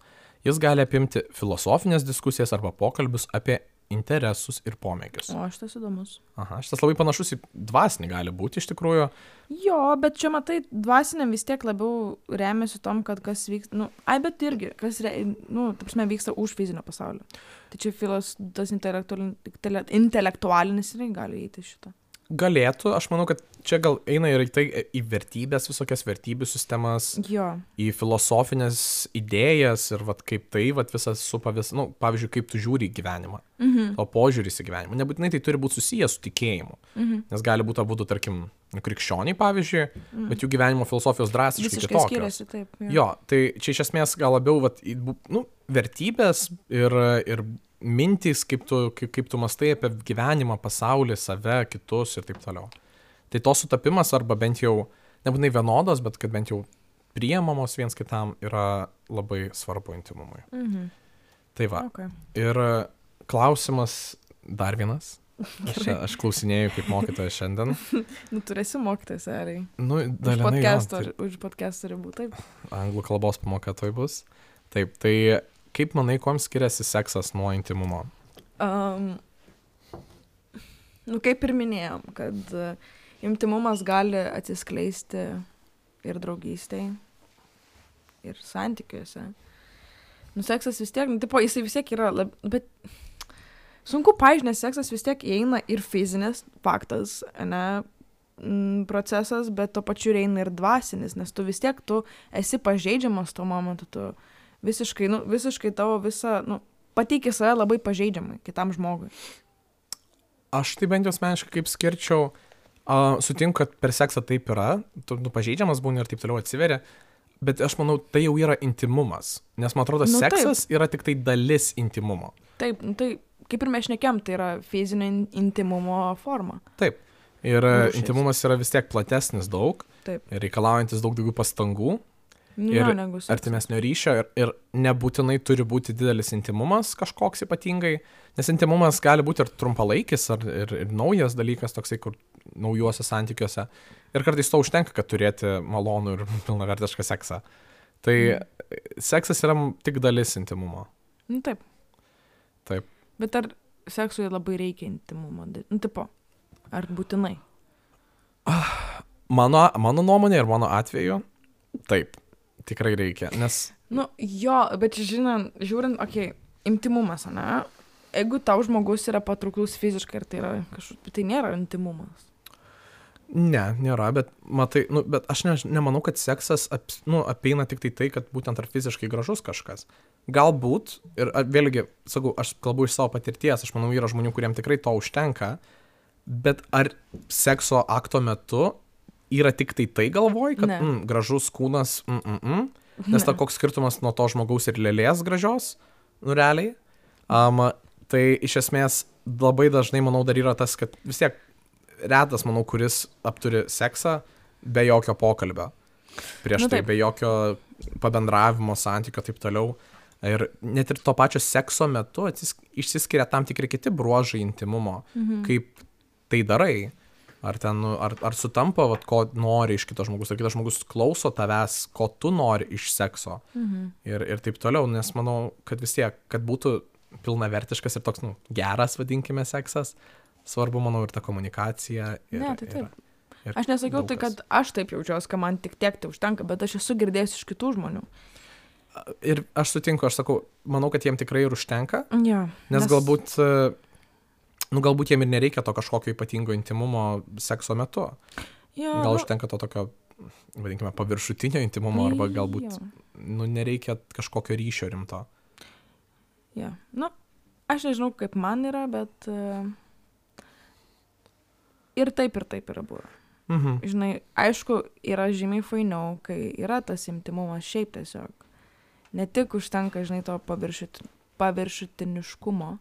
Jis gali apimti filosofinės diskusijas arba pokalbius apie interesus ir pomėgius. O, šitas įdomus. Aha, šitas labai panašus į dvasinį gali būti iš tikrųjų. Jo, bet čia matai, dvasiniam vis tiek labiau remiasi tom, kad kas vyksta, nu, ai, bet irgi, kas, re, nu, ta prasme, vyksta už fizinio pasaulio. Tai čia filos, tas intelektualinis, intelektualinis irgi gali įeiti šitą. Galėtų, aš manau, kad čia gal eina ir tai į vertybės, visokias vertybių sistemas, jo. Į filosofinės idėjas ir vat, kaip tai vat, visas supa vis, nu, pavyzdžiui, kaip tu žiūri į gyvenimą, mhm. o požiūris į gyvenimą. Nebūtinai tai turi būti susijęs su tikėjimu, mhm. nes gali būti abudu, tarkim, krikščioniai, pavyzdžiui, mhm. bet jų gyvenimo filosofijos drastiškai visiškai kitokios. Skiriasi, taip. Jo. jo, tai čia iš esmės gal labiau vat, nu, vertybės ir, ir mintys, kaip tu, kaip, kaip tu mastai apie gyvenimą, pasaulį, save, kitus ir taip toliau. Tai to sutapimas arba bent jau, nebūtinai vienodos, bet kad bent jau priemamos viens kitam yra labai svarbu intimumui. Mhm. Tai va. Okay. Ir klausimas dar vienas. Aš, čia, aš klausinėjau kaip mokytojas šiandien. Nu, tu esi mokytojas, ariai. Nu, už podcast'o, tai... už podcast'o ribų, taip. Anglų kalbos pamoka toj bus. Taip, tai kaip manai, kuom skiriasi seksas nuo intimumo? Um, nu, kaip ir minėjom, kad uh, intimumas gali atsiskleisti ir draugystėj, ir santykiuose. Nu, seksas vis tiek, nu, tipo, jisai vis tiek yra, lab, bet sunku paaiškinti, nes seksas vis tiek įeina ir fizinis faktas, ne, m, procesas, bet to pačiu įeina ir dvasinis, nes tu vis tiek, tu esi pažeidžiamas tuo momentu, tu visiškai, nu, visiškai tavo visą, nu, pateiki save labai pažeidžiamai kitam žmogui. Aš tai bent jau asmeniškai kaip skirčiau, uh, sutinku, kad per seksą taip yra, tu nu, pažeidžiamas būni ir taip toliau atsiveria, bet aš manau, tai jau yra intimumas, nes man atrodo, Nu, seksas yra tik tai dalis intimumo. Taip, nu, tai kaip ir mes šnekėm, tai yra fizinio in- intimumo forma. Taip. Ir Rūšis. intimumas yra vis tiek platesnis daug, Taip. ir reikalaujantis daug daugiau pastangų, Nu, ir jo, negu seksas. artimesnio ryšio, ir, ir nebūtinai turi būti didelis intimumas kažkoks ypatingai, nes intimumas gali būti ir trumpalaikis, ar, ir, ir naujas dalykas, toksai, kur naujuose santykiuose. Ir kartais to užtenka, kad turėti malonų ir pilnavertišką seksą. Tai mm. seksas yra tik dalis intimumo. Nu, taip. Taip. Bet ar seksui labai reikia intimumo? Nu, tipo, ar būtinai? Mano, mano nuomonė ir mano atveju, taip, tikrai reikia, nes... Nu, jo, bet žinant, žiūrint, okei, okay, intimumas, ne? Jeigu tau žmogus yra patrauklus fiziškai, ir tai yra kažkoks, tai nėra intimumas. Ne, nėra, bet, matai, nu, bet aš ne, nemanau, kad seksas ap, nu, apeina tik tai tai, kad būtent ar fiziškai gražus kažkas. Galbūt, ir a, vėlgi, sakau, aš kalbu iš savo patirties, aš manau, yra žmonių, kuriems tikrai to užtenka, bet ar sekso akto metu yra tik tai tai galvoj, kad mm, gražus kūnas, mm, mm, mm, nes ta koks skirtumas nuo to žmogaus ir lėlės gražios, nu realiai. Um, tai iš esmės labai dažnai, manau, dar yra tas, kad vis tiek retas, manau, kuris apturi seksą be jokio pokalbio. Prieš Nu, tai taip. be jokio pabendravimo, santykio, taip toliau. Ir net ir to pačio sekso metu atsis, išsiskiria tam tikri kiti bruožai intimumo, mhm. kaip tai darai. Ar, ten, ar, ar sutampa, vat, ko nori iš kito žmogus, ar kitas žmogus klauso tavęs, ko tu nori iš sekso. Mhm. Ir, ir taip toliau, nes manau, kad vis tiek, kad būtų pilnavertiškas ir toks, nu, geras, vadinkime, seksas, svarbu, manau, ir ta komunikacija. Ir, Ne, tai taip. Ir, ir Aš nesakiau daug tai, kas. kad aš taip jaučiuosi, kad man tik tiek tai užtenka, bet aš esu girdėjęs iš kitų žmonių. Ir aš sutinku, aš sakau, manau, kad jiem tikrai ir užtenka, Ja, nes, nes... galbūt, nu, galbūt jiem ir nereikia to kažkokio ypatingo intimumo sekso metu. Ja, Gal nu, užtenka to tokio, vadinkime, paviršutinio intimumo, arba galbūt, jo. nu, nereikia kažkokio ryšio rimto. Ja. Nu, aš nežinau, kaip man yra, bet uh, ir taip, ir taip yra buvę. Mhm. Žinai, aišku, yra žymiai fainiau, kai yra tas intimumas šiaip tiesiog. Ne tik užtenka, žinai, to paviršut, paviršutiniškumo,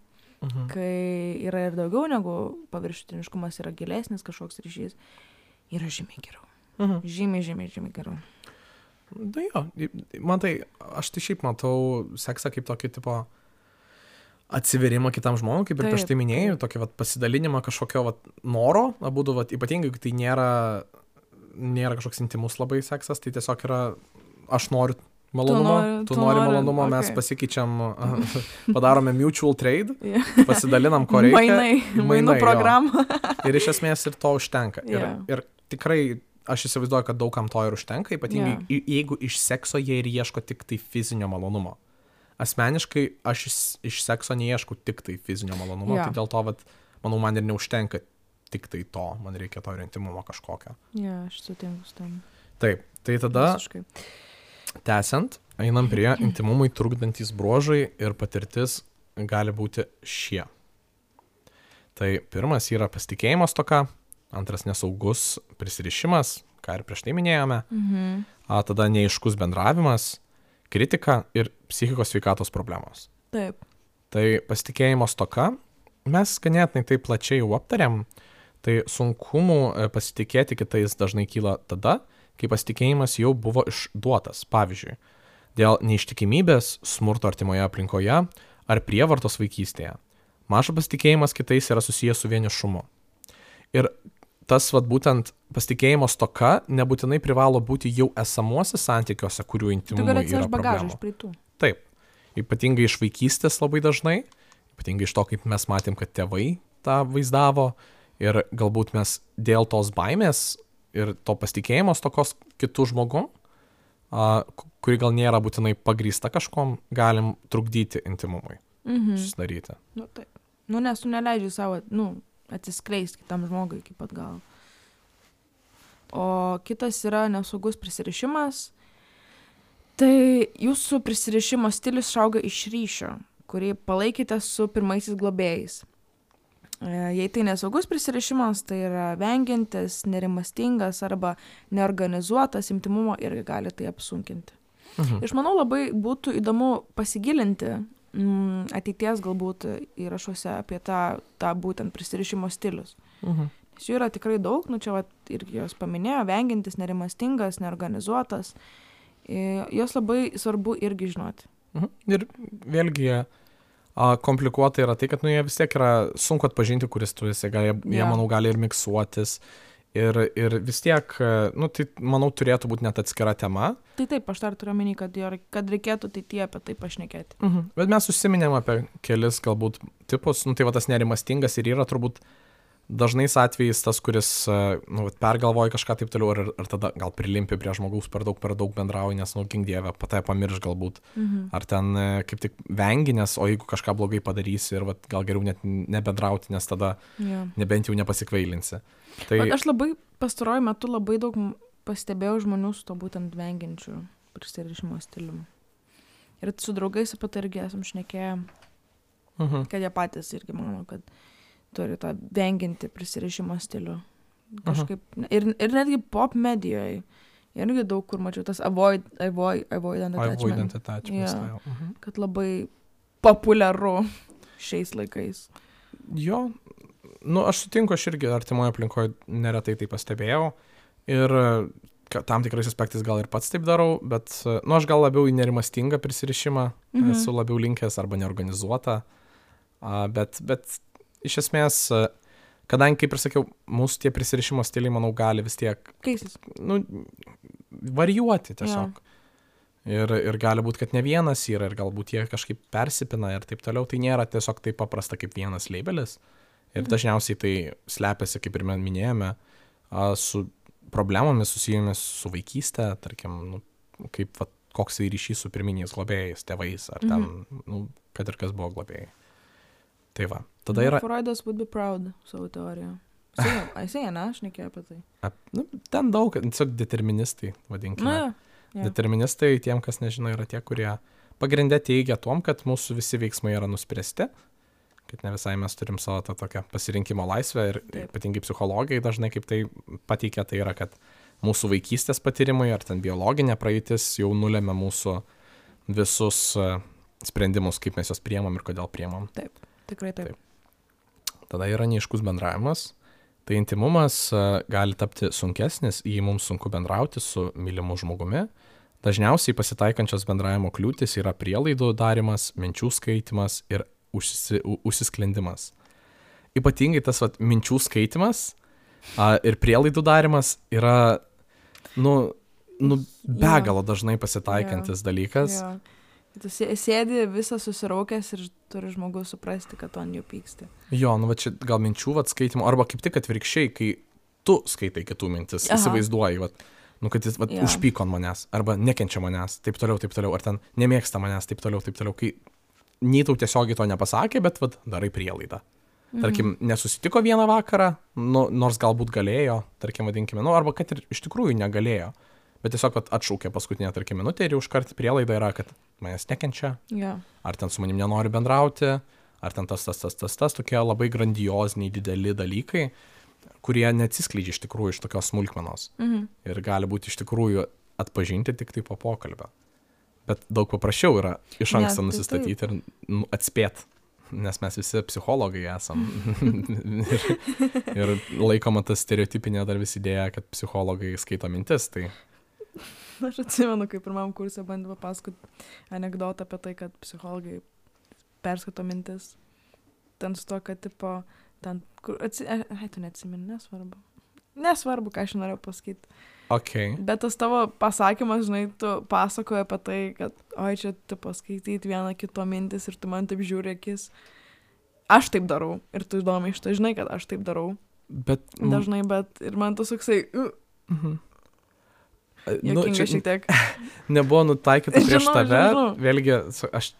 Mhm. kai yra ir daugiau negu paviršutiniškumas, yra gilesnis kažkoks ryšys, yra žymiai geriau. Mhm. Žymiai, žymiai, žymiai geriau. Na jo, man tai, aš tai šiaip matau seksą kaip tokį tipo atsiverimą kitam žmogui, kaip ir prieš tai minėjau, tokį vat, pasidalinimą kažkokio vat, noro, abudu, vat, ypatingai, kai tai nėra, nėra kažkoks intimus labai seksas, tai tiesiog yra, aš noriu malonumo, tu nori, tu nori malonumo, okay. Mes pasikeičiam, padarome mutual trade, Yeah. pasidalinam, ko reikia. Mainai, mainų programą. Ir iš esmės ir to užtenka. Ir, Yeah. ir tikrai aš įsivaizduoju, kad daugam to ir užtenka, ypatingai Yeah. jeigu iš sekso jie ir ieško tik tai fizinio malonumo. Asmeniškai aš iš, iš sekso neieškau tik tai fizinio malonumo, Yeah. tai dėl to, vat, manau, man ir neužtenka tik tai to, man reikia to ir intimumo kažkokio. Ja, aš sutinku su tam. Taip, tai tada, Visiškai. tęsiant, einam prie intimumui trukdantys bruožai ir patirtis gali būti šie. Tai pirmas yra pasitikėjimo stoka, antras nesaugus prisirišimas, ką ir prieš tai minėjome, Mhm. a, tada neaiškus bendravimas, kritika ir psichikos sveikatos problemos. Taip. Tai pasitikėjimo stoka, mes ganėtinai tai plačiai jau aptarėm, tai sunkumų e, pasitikėti kitais dažnai kyla tada, kai pasitikėjimas jau buvo išduotas, pavyzdžiui, dėl neištikimybės, smurto artimoje aplinkoje ar prievartos vaikystėje. Mažas pasitikėjimas kitais yra susijęs su vienišumu. Ir tas vat, būtent pasitikėjimo stoka nebūtinai privalo būti jau esamuose santykiuose, kurių Tu intimumui gali yra atsivežti bagažą problemų. iš praeitų. Taip, ypatingai iš vaikystės labai dažnai, ypatingai iš to, kaip mes matėm, kad tėvai tą vaizdavo ir galbūt mes dėl tos baimės ir to pasitikėjimo stokos kitų žmogų, a, kuri gal nėra būtinai pagrįsta kažkom, galim trukdyti intimumui Mhm. susidaryti. Nu, taip. Nu, nes tu neleidži savo, nu, atsiskleisti kitam žmogui iki pat galo. O kitas yra nesaugus prisirišimas. Tai jūsų prisirišimo stilius išauga iš ryšio, kurį palaikėte su pirmaisiais globėjais. Jei tai nesaugus prisirišimas, tai yra vengiantis, nerimastingas arba neorganizuotas, intymumo irgi gali tai apsunkinti. Mhm. Aš manau, labai būtų įdomu pasigilinti mm, ateities galbūt įrašuose apie tą, tą būtent prisirišimo stilius. Mhm. Nes jų yra tikrai daug, nu čia vat, irgi jos paminėjo, vengiantis, nerimastingas, neorganizuotas. E, jos labai svarbu irgi žinoti. Mhm. Ir vėlgi a, komplikuota yra tai, kad nu, jie vis tiek yra sunku atpažinti, kuris tu esi, gal, jie, Jo. jie, manau, gali ir miksuotis. Ir, ir vis tiek, nu, tai, manau, turėtų būti net atskira tema. Tai taip, aš dar turiu omeny, kad, jo- kad reikėtų tai tie apie tai pašnekėti. Mhm. Bet mes užsiminėm apie kelis galbūt tipus, nu, tai va tas nerimastingas ir yra turbūt dažnais atvejais tas, kuris nu, vat pergalvoja kažką taip toliau ir, ir tada gal prilimpi prie žmogaus per daug, per daug bendrauji, nes, nu, gink dieve, patai pamirš galbūt. Mhm. Ar ten e, kaip tik vengi, nes o jeigu kažką blogai padarysi ir vat, gal geriau net nebendrauti, nes tada Jo. nebent jau nepasikvailinsi. Tai Bet aš labai pastaruoju metu labai daug m- pastebėjau žmonių su to būtent vengiančiu prisirišimo stiliumi. Ir su draugais apie tai irgi esam šnekėję, mhm. kad jie patys irgi mano, kad turi tą vengiantį prisirišimo stilių. Kažkaip. Ir, ir netgi pop medijoje. Irgi daug kur mačiau tas avoid, avoid, avoidant attachment. Avoidant attachment Jo. style. Mhm. Kad labai populiaru šiais laikais. Jo, nu aš sutinku, aš irgi artimoje aplinkoje neretai tai pastebėjau ir ka- tam tikrais aspektais gal ir pats taip darau, bet, nu aš gal labiau į nerimastingą prisirišimą Mhm. esu labiau linkęs arba neorganizuotą, a, bet, bet iš esmės, a, kadangi, kaip ir sakiau, mūsų tie prisirišimo stiliai, manau, gali vis tiek, Keisis. nu, varijuoti tiesiog. Ir, ir gali būti, kad ne vienas yra ir galbūt jie kažkaip persipina ir taip toliau. Tai nėra tiesiog taip paprasta kaip vienas labelis. Ir dažniausiai tai slepiasi, kaip ir mes minėjome, a, su problemomis susijomis su vaikystė, tarkim, nu, kaip, va, koks tai ryšys su pirminiais globėjais, tėvais, ar ten, nu, kad ir kas buvo globėjai. Tai va, tada yra, Freudas would be proud savo teoriją. Jisai, ne, aš nekėjau apie tai. ap- nu, ten daug, tiesiog deterministai, vadinkime. Na, jo. Jo. Deterministai, tiem, kas nežino, yra tie, kurie pagrindė teigia tom, kad mūsų visi veiksmai yra nuspręsti, kad ne visai mes turim savo tą tokią pasirinkimo laisvę ir Taip. ypatingai psichologai dažnai kaip tai pateikia, tai yra, kad mūsų vaikystės patyrimai ar ten biologinė praeitis jau nulėmė mūsų visus e, sprendimus, kaip mes juos priemam ir kodėl priemam. Tikrai taip. Taip. Tada yra neiškus bendravimas. Tai intimumas e, gali tapti sunkesnis, jei mums sunku bendrauti su mylimu žmogumi. Dažniausiai pasitaikančios bendravimo kliūtis yra prielaidų darimas, minčių skaitimas ir užsisi, u- užsisklendimas. Ypatingai tas vat, minčių skaitimas a, ir prielaidų darimas yra nu, nu, begalo dažnai pasitaikantis dalykas. Jo. Tu sė- sėdi visas susiraukęs ir turi žmogus suprasti, kad tu ant jo pyksti. Jo, nu va čia gal minčių vat, skaitimo, arba kaip tik atvirkščiai, kai tu skaitai kitų mintis, Aha. įsivaizduoji, vat, nu, kad jis vat, Jo. užpyko ant manęs, arba nekenčia manęs, taip toliau, taip toliau, ar ten nemėgsta manęs, taip toliau, taip toliau, kai nei tau tiesiogiai to nepasakė, bet vat, darai prielaidą. Tarkim, nesusitiko vieną vakarą, nu, nors galbūt galėjo, tarkim, vadinkime, nu, arba kad ir iš tikrųjų negalėjo, bet tiesiog vat, atšaukė paskutinę, tarkim, minutę ir jau iškart prielaida yra, kad manęs nekenčia, Jo. ar ten su manim nenori bendrauti, ar ten tas, tas, tas, tas, tas, tokie labai grandioziniai, dideli dalykai, kurie neatsiskleidžia iš tikrųjų iš tokios smulkmenos Mhm. ir gali būti iš tikrųjų atpažinti tik tai po pokalbio. Bet daug paprasčiau yra iš Ne, anksto tai nusistatyti ir nu, atspėti, nes mes visi psichologai esam. ir, ir laikoma ta stereotipinė dar vis idėja, kad psichologai skaito mintis. Tai Aš atsimenu, kai pirmam kursė bandė papasakoti anekdotą apie tai, kad psichologai perskato mintis. Ten su to, kad tipo, ten, kur, atsi... ai, tu neatsimeni, nesvarbu. Nesvarbu, ką aš norėjau pasakyti. ok, Bet tas tavo pasakymas, žinai, tu pasakoji apie tai, kad, oi, čia tu paskaityti vieną kito mintis ir tu man taip žiūri akis. Aš taip darau. Ir tu įdomi iš to, žinai, kad aš taip darau. bet... nu, Dažnai, bet ir man tas toksai, uh, mhm. Nu, juokinga čia šiek tiek. nebuvo nutaikyta prieš Žinau, tave. žinau. Vėlgi, su- aš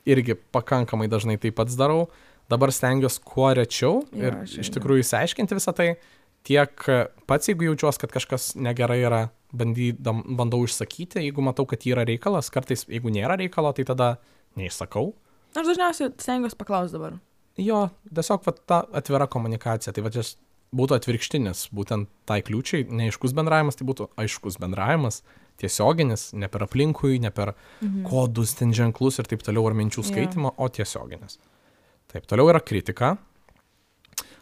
irgi pakankamai dažnai tai pats darau. dabar stengiuosi kuo rečiau Jo, ir aš iš irgi. tikrųjų išsiaiškinti visą tai, tiek pats, jeigu jaučiuosi, kad kažkas negerai yra, bandydam, bandau išsakyti, jeigu matau, kad yra reikalas, kartais, jeigu nėra reikalo, tai tada neišsakau. Aš dažniausiai stengiuosi paklausti dabar. Jo, tiesiog va, ta atvira komunikacija, tai va čia būtų atvirkštinis, būtent tai kliūčiai, neaiškus bendravimas, tai būtų aiškus bendravimas, tiesioginis, ne per aplinkui, ne per mhm. kodus, ten ženklus ir taip toliau, ar minčių skaitimo, yeah. o tiesioginis. Taip, toliau yra kritika.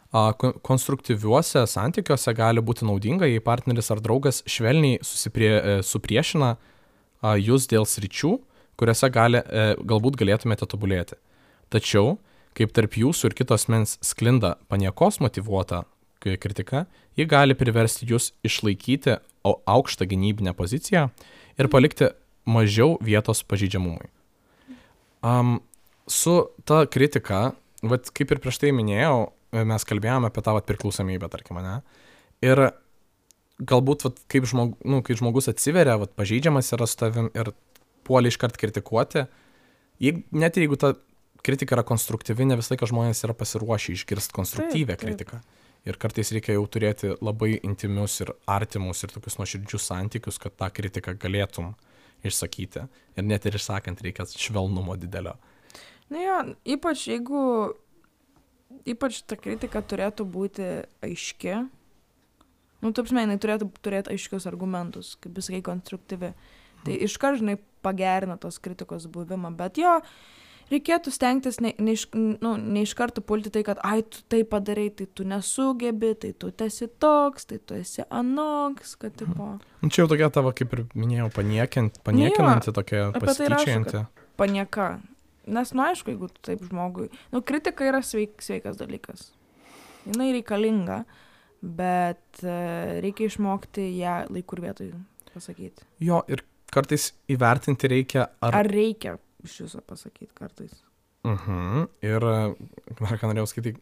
A, konstruktyviuose santykiuose gali būti naudinga, jei partneris ar draugas švelniai susiprie, supriešina a, jūs dėl sričių, kuriuose gali, e, galbūt galėtumėte tobulėti. Tačiau, kaip tarp jūsų ir kitos mens sklinda paniekos motyvuota kritika, ji gali priversti jūs išlaikyti aukštą gynybinę poziciją ir palikti mažiau vietos pažeidžiamumui. Um, su ta kritika, vat, kaip ir prieš tai minėjau, mes kalbėjome apie tą vat, priklausomybę, tarkim, ne? Ir galbūt, vat, kaip, žmog, nu, kaip žmogus atsiveria, vat, pažeidžiamas yra su tavim ir puolė iškart kritikuoti, jeigu, net jeigu ta kritika yra konstruktyvi, ne visą laiką žmonės yra pasiruošę išgirsti konstruktyvę taip, taip. kritiką. Ir kartais reikia jau turėti labai intimius ir artimus ir tokius nuoširdžius santykius, kad tą kritiką galėtum išsakyti. Ir net ir išsakant reikia švelnumo didelio. Na jo, ypač jeigu, ypač ta kritika turėtų būti aiški, nu, taip žinai, jinai turėtų turėti aiškius argumentus, kaip visai konstruktyvi. Tai iškart, žinai, pagerina tos kritikos buvimą, bet jo, reikėtų stengtis ne, ne, iš, nu, ne iš karto pulti tai, kad ai, tu tai padarai, tai tu nesugebi, tai tu esi toks, tai tu esi anoks, kad tipo... Nu, čia jau tokia tavo, kaip ir minėjau, paniekint, paniekinanti, tokia pasityčianti. Panieka. Nes, nu, aišku, jeigu tu taip žmogui... Nu, kritika yra sveik, sveikas dalykas. Jinai reikalinga, bet uh, reikia išmokti ją laiku ir vietoj pasakyti. Jo, ir kartais įvertinti reikia, ar... Ar reikia iš viso pasakyti kartais. Mhm. Ir, dar ką norėjau skaityti,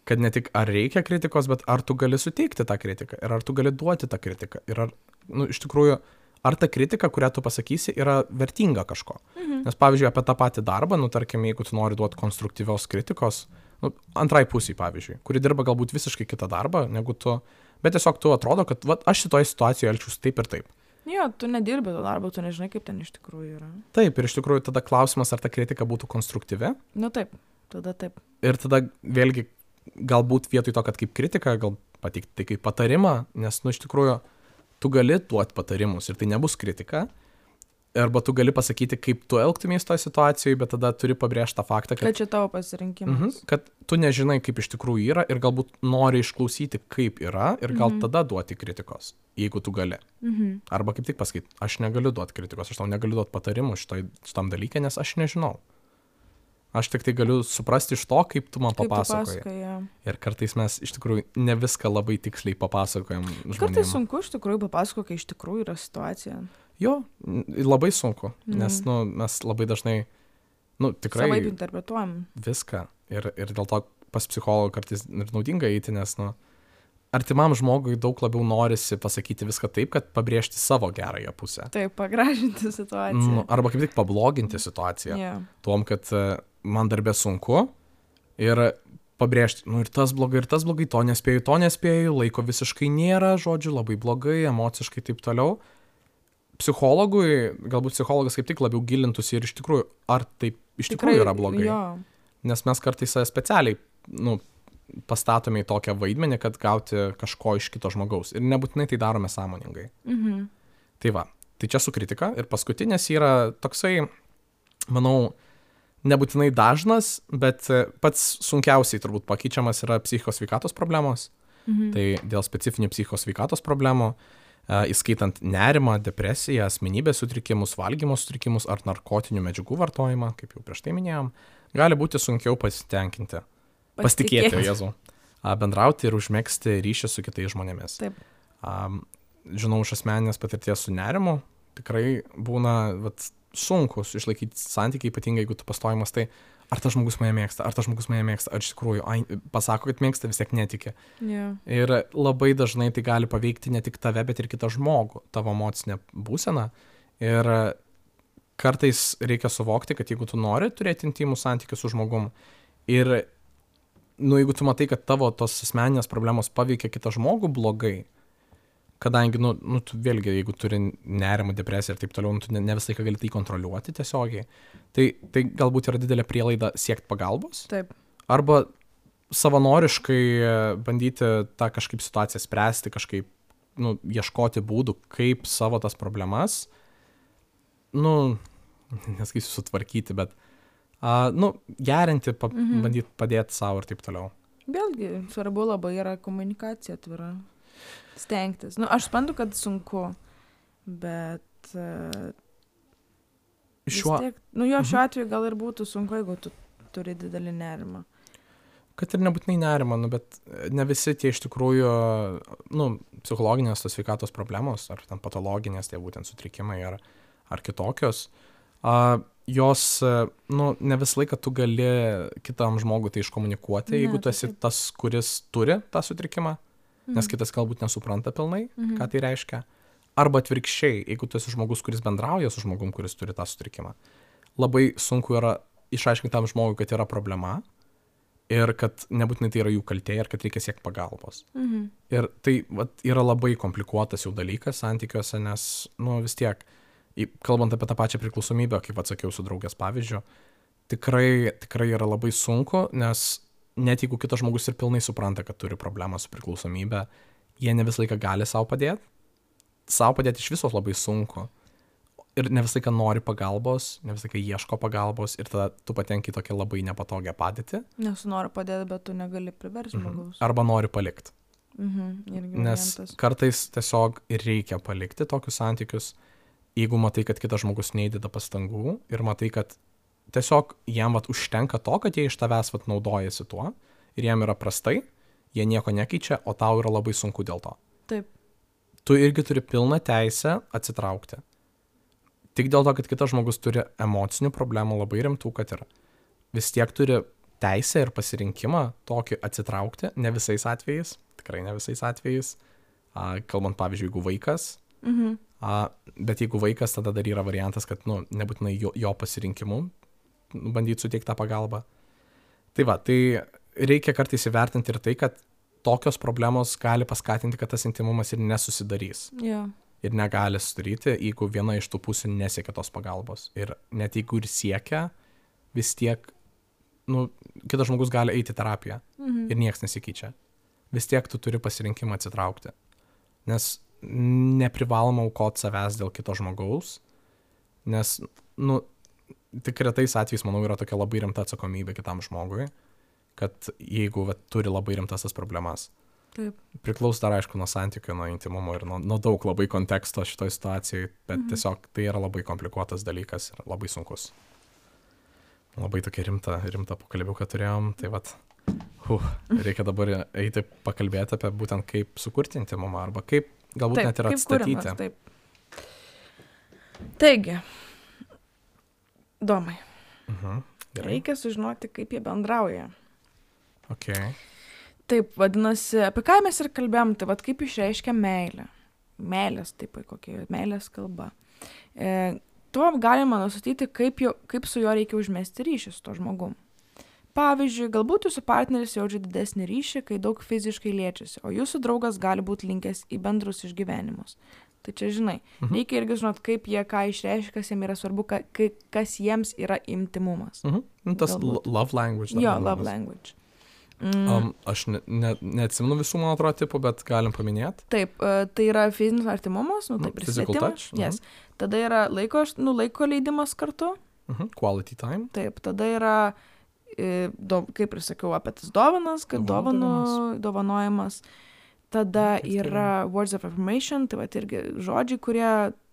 kad ne tik ar reikia kritikos, bet ar tu gali suteikti tą kritiką ir ar tu gali duoti tą kritiką. Ir ar, nu, iš tikrųjų, ar ta kritika, kurią tu pasakysi, yra vertinga kažko. Mhm. Nes, pavyzdžiui, apie tą patį darbą, nu, tarkim, jeigu tu nori duoti konstruktyvios kritikos, nu, antrai pusiai, pavyzdžiui, kuri dirba galbūt visiškai kitą darbą, negu tu, bet tiesiog tu atrodo, kad va, aš šitoje situacijoje elčiausi taip ir taip. Jo, tu nedirbi to darbo, tu nežinai, kaip ten iš tikrųjų yra. Taip, ir iš tikrųjų tada klausimas, ar ta kritika būtų konstruktyvi. Nu taip, tada taip. Ir tada vėlgi galbūt vietoj to, kad kaip kritika, gal pateikti tai kaip patarimą, nes, nu, iš tikrųjų, tu gali duoti patarimus ir tai nebus kritika. Arba tu gali pasakyti, kaip tu elgtumės toje situacijoje, bet tada turi pabrėžti tą faktą, kad... Kad čia tavo pasirinkimas. Mhm, kad tu nežinai, kaip iš tikrųjų yra ir galbūt nori išklausyti, kaip yra ir gal mhm. tada duoti kritikos, jeigu tu gali. Mhm. Arba kaip tik pasakyti, aš negaliu duoti kritikos, aš tau negaliu duoti patarimų šitoj, šitam dalykė, nes aš nežinau. Aš tik tai galiu suprasti iš to, kaip tu man kaip papasakoji. Tu pasakoji, ja. Ir kartais mes iš tikrųjų ne viską labai tiksliai papasakojam žmonėms. Kartais sunku iš tikrųjų papasakoti, kai iš tikrųjų yra situacija. Jo, labai sunku, nes mm. nu, mes labai dažnai, nu, tikrai... Savaip interpretuojam. Viską. Ir, ir dėl to pas psichologą kartais ir naudinga eiti, nes, nu, artimam žmogui daug labiau norisi pasakyti viską taip, kad pabrėžti savo gerąją pusę. Taip, pagražinti situaciją. Nu, arba kaip tik pabloginti situaciją. Yeah. Tuom, kad uh, man darbė sunku ir pabrėžti, nu ir tas blogai, ir tas blogai, to nespėju, to nespėju, laiko visiškai nėra, žodžiu, labai blogai, emociškai taip toliau. Psichologui, galbūt psichologas kaip tik labiau gilintųsi ir iš tikrųjų, ar taip iš Tikrai, tikrųjų yra blogai. Jo. Nes mes kartais specialiai, nu, pastatome į tokią vaidmenį, kad gauti kažko iš kito žmogaus. Ir nebūtinai tai darome sąmoningai. Mhm. Tai va, tai čia su kritika. Ir paskutinės yra toksai, manau, nebūtinai dažnas, bet pats sunkiausiai turbūt pakeičiamas yra psichikos sveikatos problemos. Mhm. Tai dėl specifinių psichikos sveikatos problemų, įskaitant nerimą, depresiją, asmenybės sutrikimus, valgymo sutrikimus ar narkotinių medžiagų vartojimą, kaip jau prieš tai minėjom, gali būti sunkiau pasitenkinti, pasitikėti, pasitikėti Jėzau, bendrauti ir užmegzti ryšį su kitais žmonėmis. Taip. Žinau iš asmeninės patirties su nerimu, tikrai būna vat, sunkus išlaikyti santykiai, ypatingai jeigu tu pastojimas, tai ar tas žmogus mane mėgsta, ar tas žmogus mane mėgsta, ar iš tikrųjų ai, pasako, kad mėgsta, vis tiek netiki. Yeah. Ir labai dažnai tai gali paveikti ne tik tave, bet ir kitą žmogų, tavo emocinę būseną. Ir kartais reikia suvokti, kad jeigu tu nori turėti intimų santykių su žmogum ir nu, jeigu tu matai, kad tavo tos asmeninės problemos paveikia kitą žmogų blogai, kadangi, nu, nu tu vėlgi, jeigu turi nerimą, depresiją ir taip toliau, nu, tu ne, ne visą laiką gali tai kontroliuoti tiesiogiai, tai, tai galbūt yra didelė prielaida siekti pagalbos. Taip. Arba savanoriškai bandyti tą kažkaip situaciją spręsti, kažkaip, nu, ieškoti būdų, kaip savo tas problemas, nu, nesakysiu sutvarkyti, bet, uh, nu, gerinti, pa, mhm. bandyti padėti savo ir taip toliau. Vėlgi, svarbu labai yra komunikacija atvira. Stengtis. Nu, aš suprantu, kad sunku, bet uh, šiuo... tiek, nu, jo šiuo atveju gal ir būtų sunku, jeigu tu turi didelį nerimą. Kad ir nebūtinai nerimą, nu, bet ne visi tie iš tikrųjų, nu, psichologinės tos sveikatos problemos, ar ten patologinės, tie būtent sutrikimai, ar, ar kitokios, uh, jos, nu, ne visą laiką tu gali kitam žmogui tai iškomunikuoti, ne, jeigu tu esi taip. Tas, kuris turi tą sutrikimą, mhm. nes kitas galbūt nesupranta pilnai, mhm. ką tai reiškia. Arba atvirkščiai, jeigu tu esi žmogus, kuris bendrauja su žmogum, kuris turi tą sutrikimą, labai sunku yra išaiškinti tam žmogui, kad yra problema ir kad nebūtinai tai yra jų kaltė ir kad reikia siekti pagalbos. Mhm. Ir tai vat, yra labai komplikuotas jau dalykas santykiuose, nes, nu, vis tiek, kalbant apie tą pačią priklausomybę, kaip atsakiau su draugės pavyzdžiu, tikrai, tikrai yra labai sunku, nes net jeigu kitas žmogus ir pilnai supranta, kad turi problemą su priklausomybė, jie ne visą laiką gali savo padėti. Savo padėti iš visos labai sunku. Ir ne visą laiką nori pagalbos, ne visą laiką ieško pagalbos ir tada tu patenki tokią labai nepatogią padėtį. Nes nori padėti, bet tu negali priversti žmogaus. Mhm. Arba nori palikti. Mhm. Nes kartais tiesiog ir reikia palikti tokius santykius, jeigu matai, kad kitas žmogus neįdeda pastangų ir matai, kad tiesiog jam vat, užtenka to, kad jie iš tavęs vat, naudojasi tuo ir jam yra prastai, jie nieko nekeičia, o tau yra labai sunku dėl to. Taip. Tu irgi turi pilną teisę atsitraukti. Tik dėl to, kad kitas žmogus turi emocinių problemų labai rimtų, kad ir vis tiek turi teisę ir pasirinkimą tokį atsitraukti, ne visais atvejais, tikrai ne visais atvejais, a, kalbant pavyzdžiui, jeigu vaikas, Mhm. a, bet jeigu vaikas, tada dar yra variantas, kad nu, nebūtinai jo, jo pasirinkimu bandyti suteikti tą pagalbą. Tai va, tai reikia kartais įvertinti ir tai, kad tokios problemos gali paskatinti, kad tas intimumas ir nesusidarys. Ja. Ir negali sudaryti, jeigu viena iš tų pusių nesiekia tos pagalbos. Ir net jeigu ir siekia, vis tiek, nu, kitas žmogus gali eiti į terapiją. Mhm. Ir nieks nesikeičia. Vis tiek tu turi pasirinkimą atsitraukti. Nes neprivaloma aukoti savęs dėl kito žmogaus. Nes, nu, tik retais atvejais, manau, yra tokia labai rimta atsakomybė kitam žmogui, kad jeigu va, turi labai rimtas tas problemas. Taip. Priklauso dar, aišku, nuo santykių, nuo intimumo ir nuo, nuo daug labai konteksto šitoj situacijai, bet mhm. tiesiog tai yra labai komplikuotas dalykas ir labai sunkus. Labai tokia rimta, rimta pokalbiuką turėjom, tai vat, uh, reikia dabar eiti pakalbėti apie būtent kaip sukurti intimumą arba kaip galbūt taip, net ir atstatyti. Kūrimas, taip. Taigi, Domai, Mhm. Gerai. reikia sužinoti, kaip jie bendrauja. Okay. Taip, vadinasi, apie ką mes ir kalbėjom, tai vad kaip išreiškia meilę. Meilės, taip, kokia meilės kalba. E, tuo galima nustatyti, kaip, jo, kaip su juo reikia užmesti ryšį su to žmogum. Pavyzdžiui, galbūt jūsų partneris jaučia didesnį ryšį, kai daug fiziškai liečiasi, o jūsų draugas gali būti linkęs į bendrus išgyvenimus. Tai čia, žinai, mhm. reikia irgi žinot, kaip jie ką išreiškia, kas jiems yra svarbu, ka, kas jiems yra intimumas. Mhm. Tas galbūt. Love language. Jo, love language. Mm. Um, aš ne, ne, neatsimenu visų, man atrodo, tipų, bet galim paminėti. Taip, uh, tai yra fizinis artimumas, nu, taip, no, physical touch. Yes. Mm. Tada yra laiko, nu, laiko leidimas kartu. Mm-hmm. Quality time. Taip, tada yra, e, do, kaip ir sakiau, apie tas dovanas, kad dovanų, dovanojimas. Tada yra words of affirmation, tai va irgi žodžiai, kurie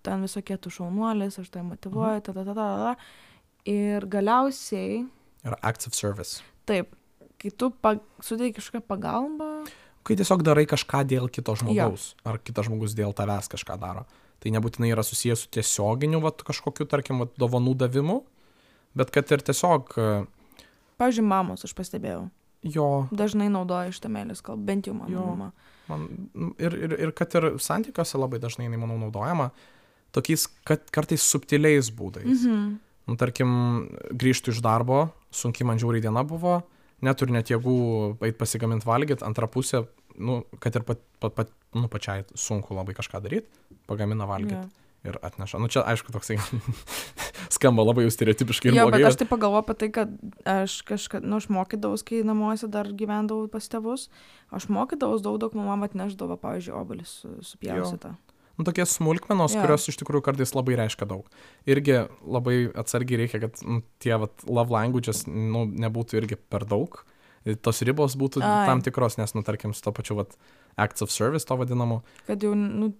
ten visokie tu šaunuolis, aš tai motyvuoju, tada, tada, tada. Ir galiausiai... Yra acts of service. Taip. Kai tu pag... suteiki kažkokią pagalbą. Kai tiesiog darai kažką dėl kito žmogaus, ja. Ar kitas žmogus dėl tavęs kažką daro. Tai nebūtinai yra susijęs su tiesioginiu vat, kažkokiu, tarkim, vat, dovanų davimu, bet kad ir tiesiog... Pavyzdžiui, mamos, aš pastebėjau. Jo. Dažnai naudoja šitą meilės kalbą, bent jau mano jo. Mama. Man, ir, ir, ir kad ir santykiuose labai dažnai, manau, naudojama tokiais, kad kartais subtiliais būdais. Mhm. Nu, tarkim, grįžtu iš darbo, sunkiai man žiauriai diena buvo, neturi net jėgų eit pasigamint valgyt, antra pusė, nu, kad ir pat, pat, pat, nu, pačiai sunku labai kažką daryti, pagamina valgyt Jo. ir atneša. Nu, čia, aišku, toksai skamba labai jau stereotipiškai ir Jo, blogai. bet aš tai pagalvoju apie tai, kad aš kažką, nu, aš mokydavus, kai namuose dar gyvendavau pas tėvus, aš mokydavus daug, daug mama atneždavo, pavyzdžiui, obelis su, supjaustytą. Nu, tokie smulkmenos, Jo. kurios iš tikrųjų kartais labai reiškia daug. Irgi labai atsargiai reikia, kad nu, tie vat, love languages nu, nebūtų irgi per daug. Tos ribos būtų Ai. tam tikros, nes, nu, tarkim, su to pačiu vat, acts of service to vadinamu, Kad jau, nu,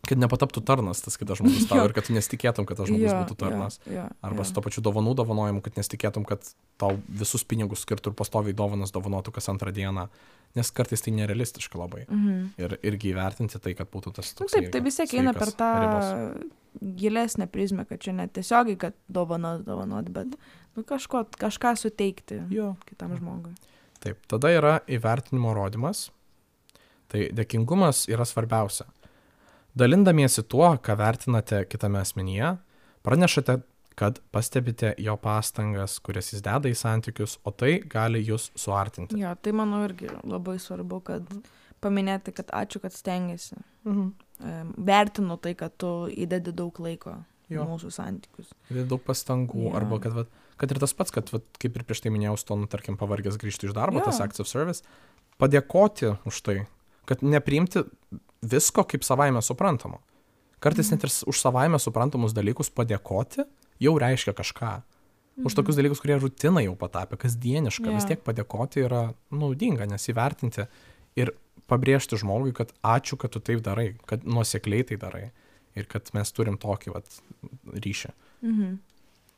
kad nepataptų tarnas tas kitas žmogus tau Jo. ir kad tu nesitikėtum, kad tas žmogus jo, būtų tarnas. Jo, jo, Arba jo. su to pačiu dovanų dovanojimu, kad nesitikėtum, kad tau visus pinigus skirtų ir pastoviai dovanas dovanotų kas antrą dieną, nes kartais tai nerealistiška labai. Mhm. Ir irgi įvertinti tai, kad būtų tas Nu, toks taip, tai vis tiek eina per tą gilesnę prizmę, kad čia ne tiesiogiai, kad dovanos dovanot, bet nu, kažko, kažką suteikti Jo. kitam žmogui. Taip, tada yra įvertinimo rodymas. Tai dėkingumas yra svarbiausia. Dalindamiesi tuo, ką vertinate kitame asmenyje, pranešate, kad pastebite jo pastangas, kurias jis deda į santykius, o tai gali jūs suartinti. Jo, tai manau irgi labai svarbu, kad paminėti, kad ačiū, kad stengiasi. Mhm. Em, Vertinu tai, kad tu įdedi daug laiko į Jo. mūsų santykius. Ir daug pastangų, Jo. arba kad, vat, kad ir tas pats, kad, vat, kaip ir prieš tai minėjau, su to, nu, tarkim, pavargęs grįžti iš darbo, Jo. tas acts of service, padėkoti už tai, kad nepriimti visko kaip savaime suprantamo. Kartais net ir s- už savaime suprantamus dalykus padėkoti jau reiškia kažką. Už tokius dalykus, kurie rutina jau patapė, kasdieniška, Jo. vis tiek padėkoti yra naudinga, nes įvertinti ir pabrėžti žmogui, kad ačiū, kad tu taip darai, kad nuosekliai tai darai ir kad mes turim tokį vat, ryšį. Mhm.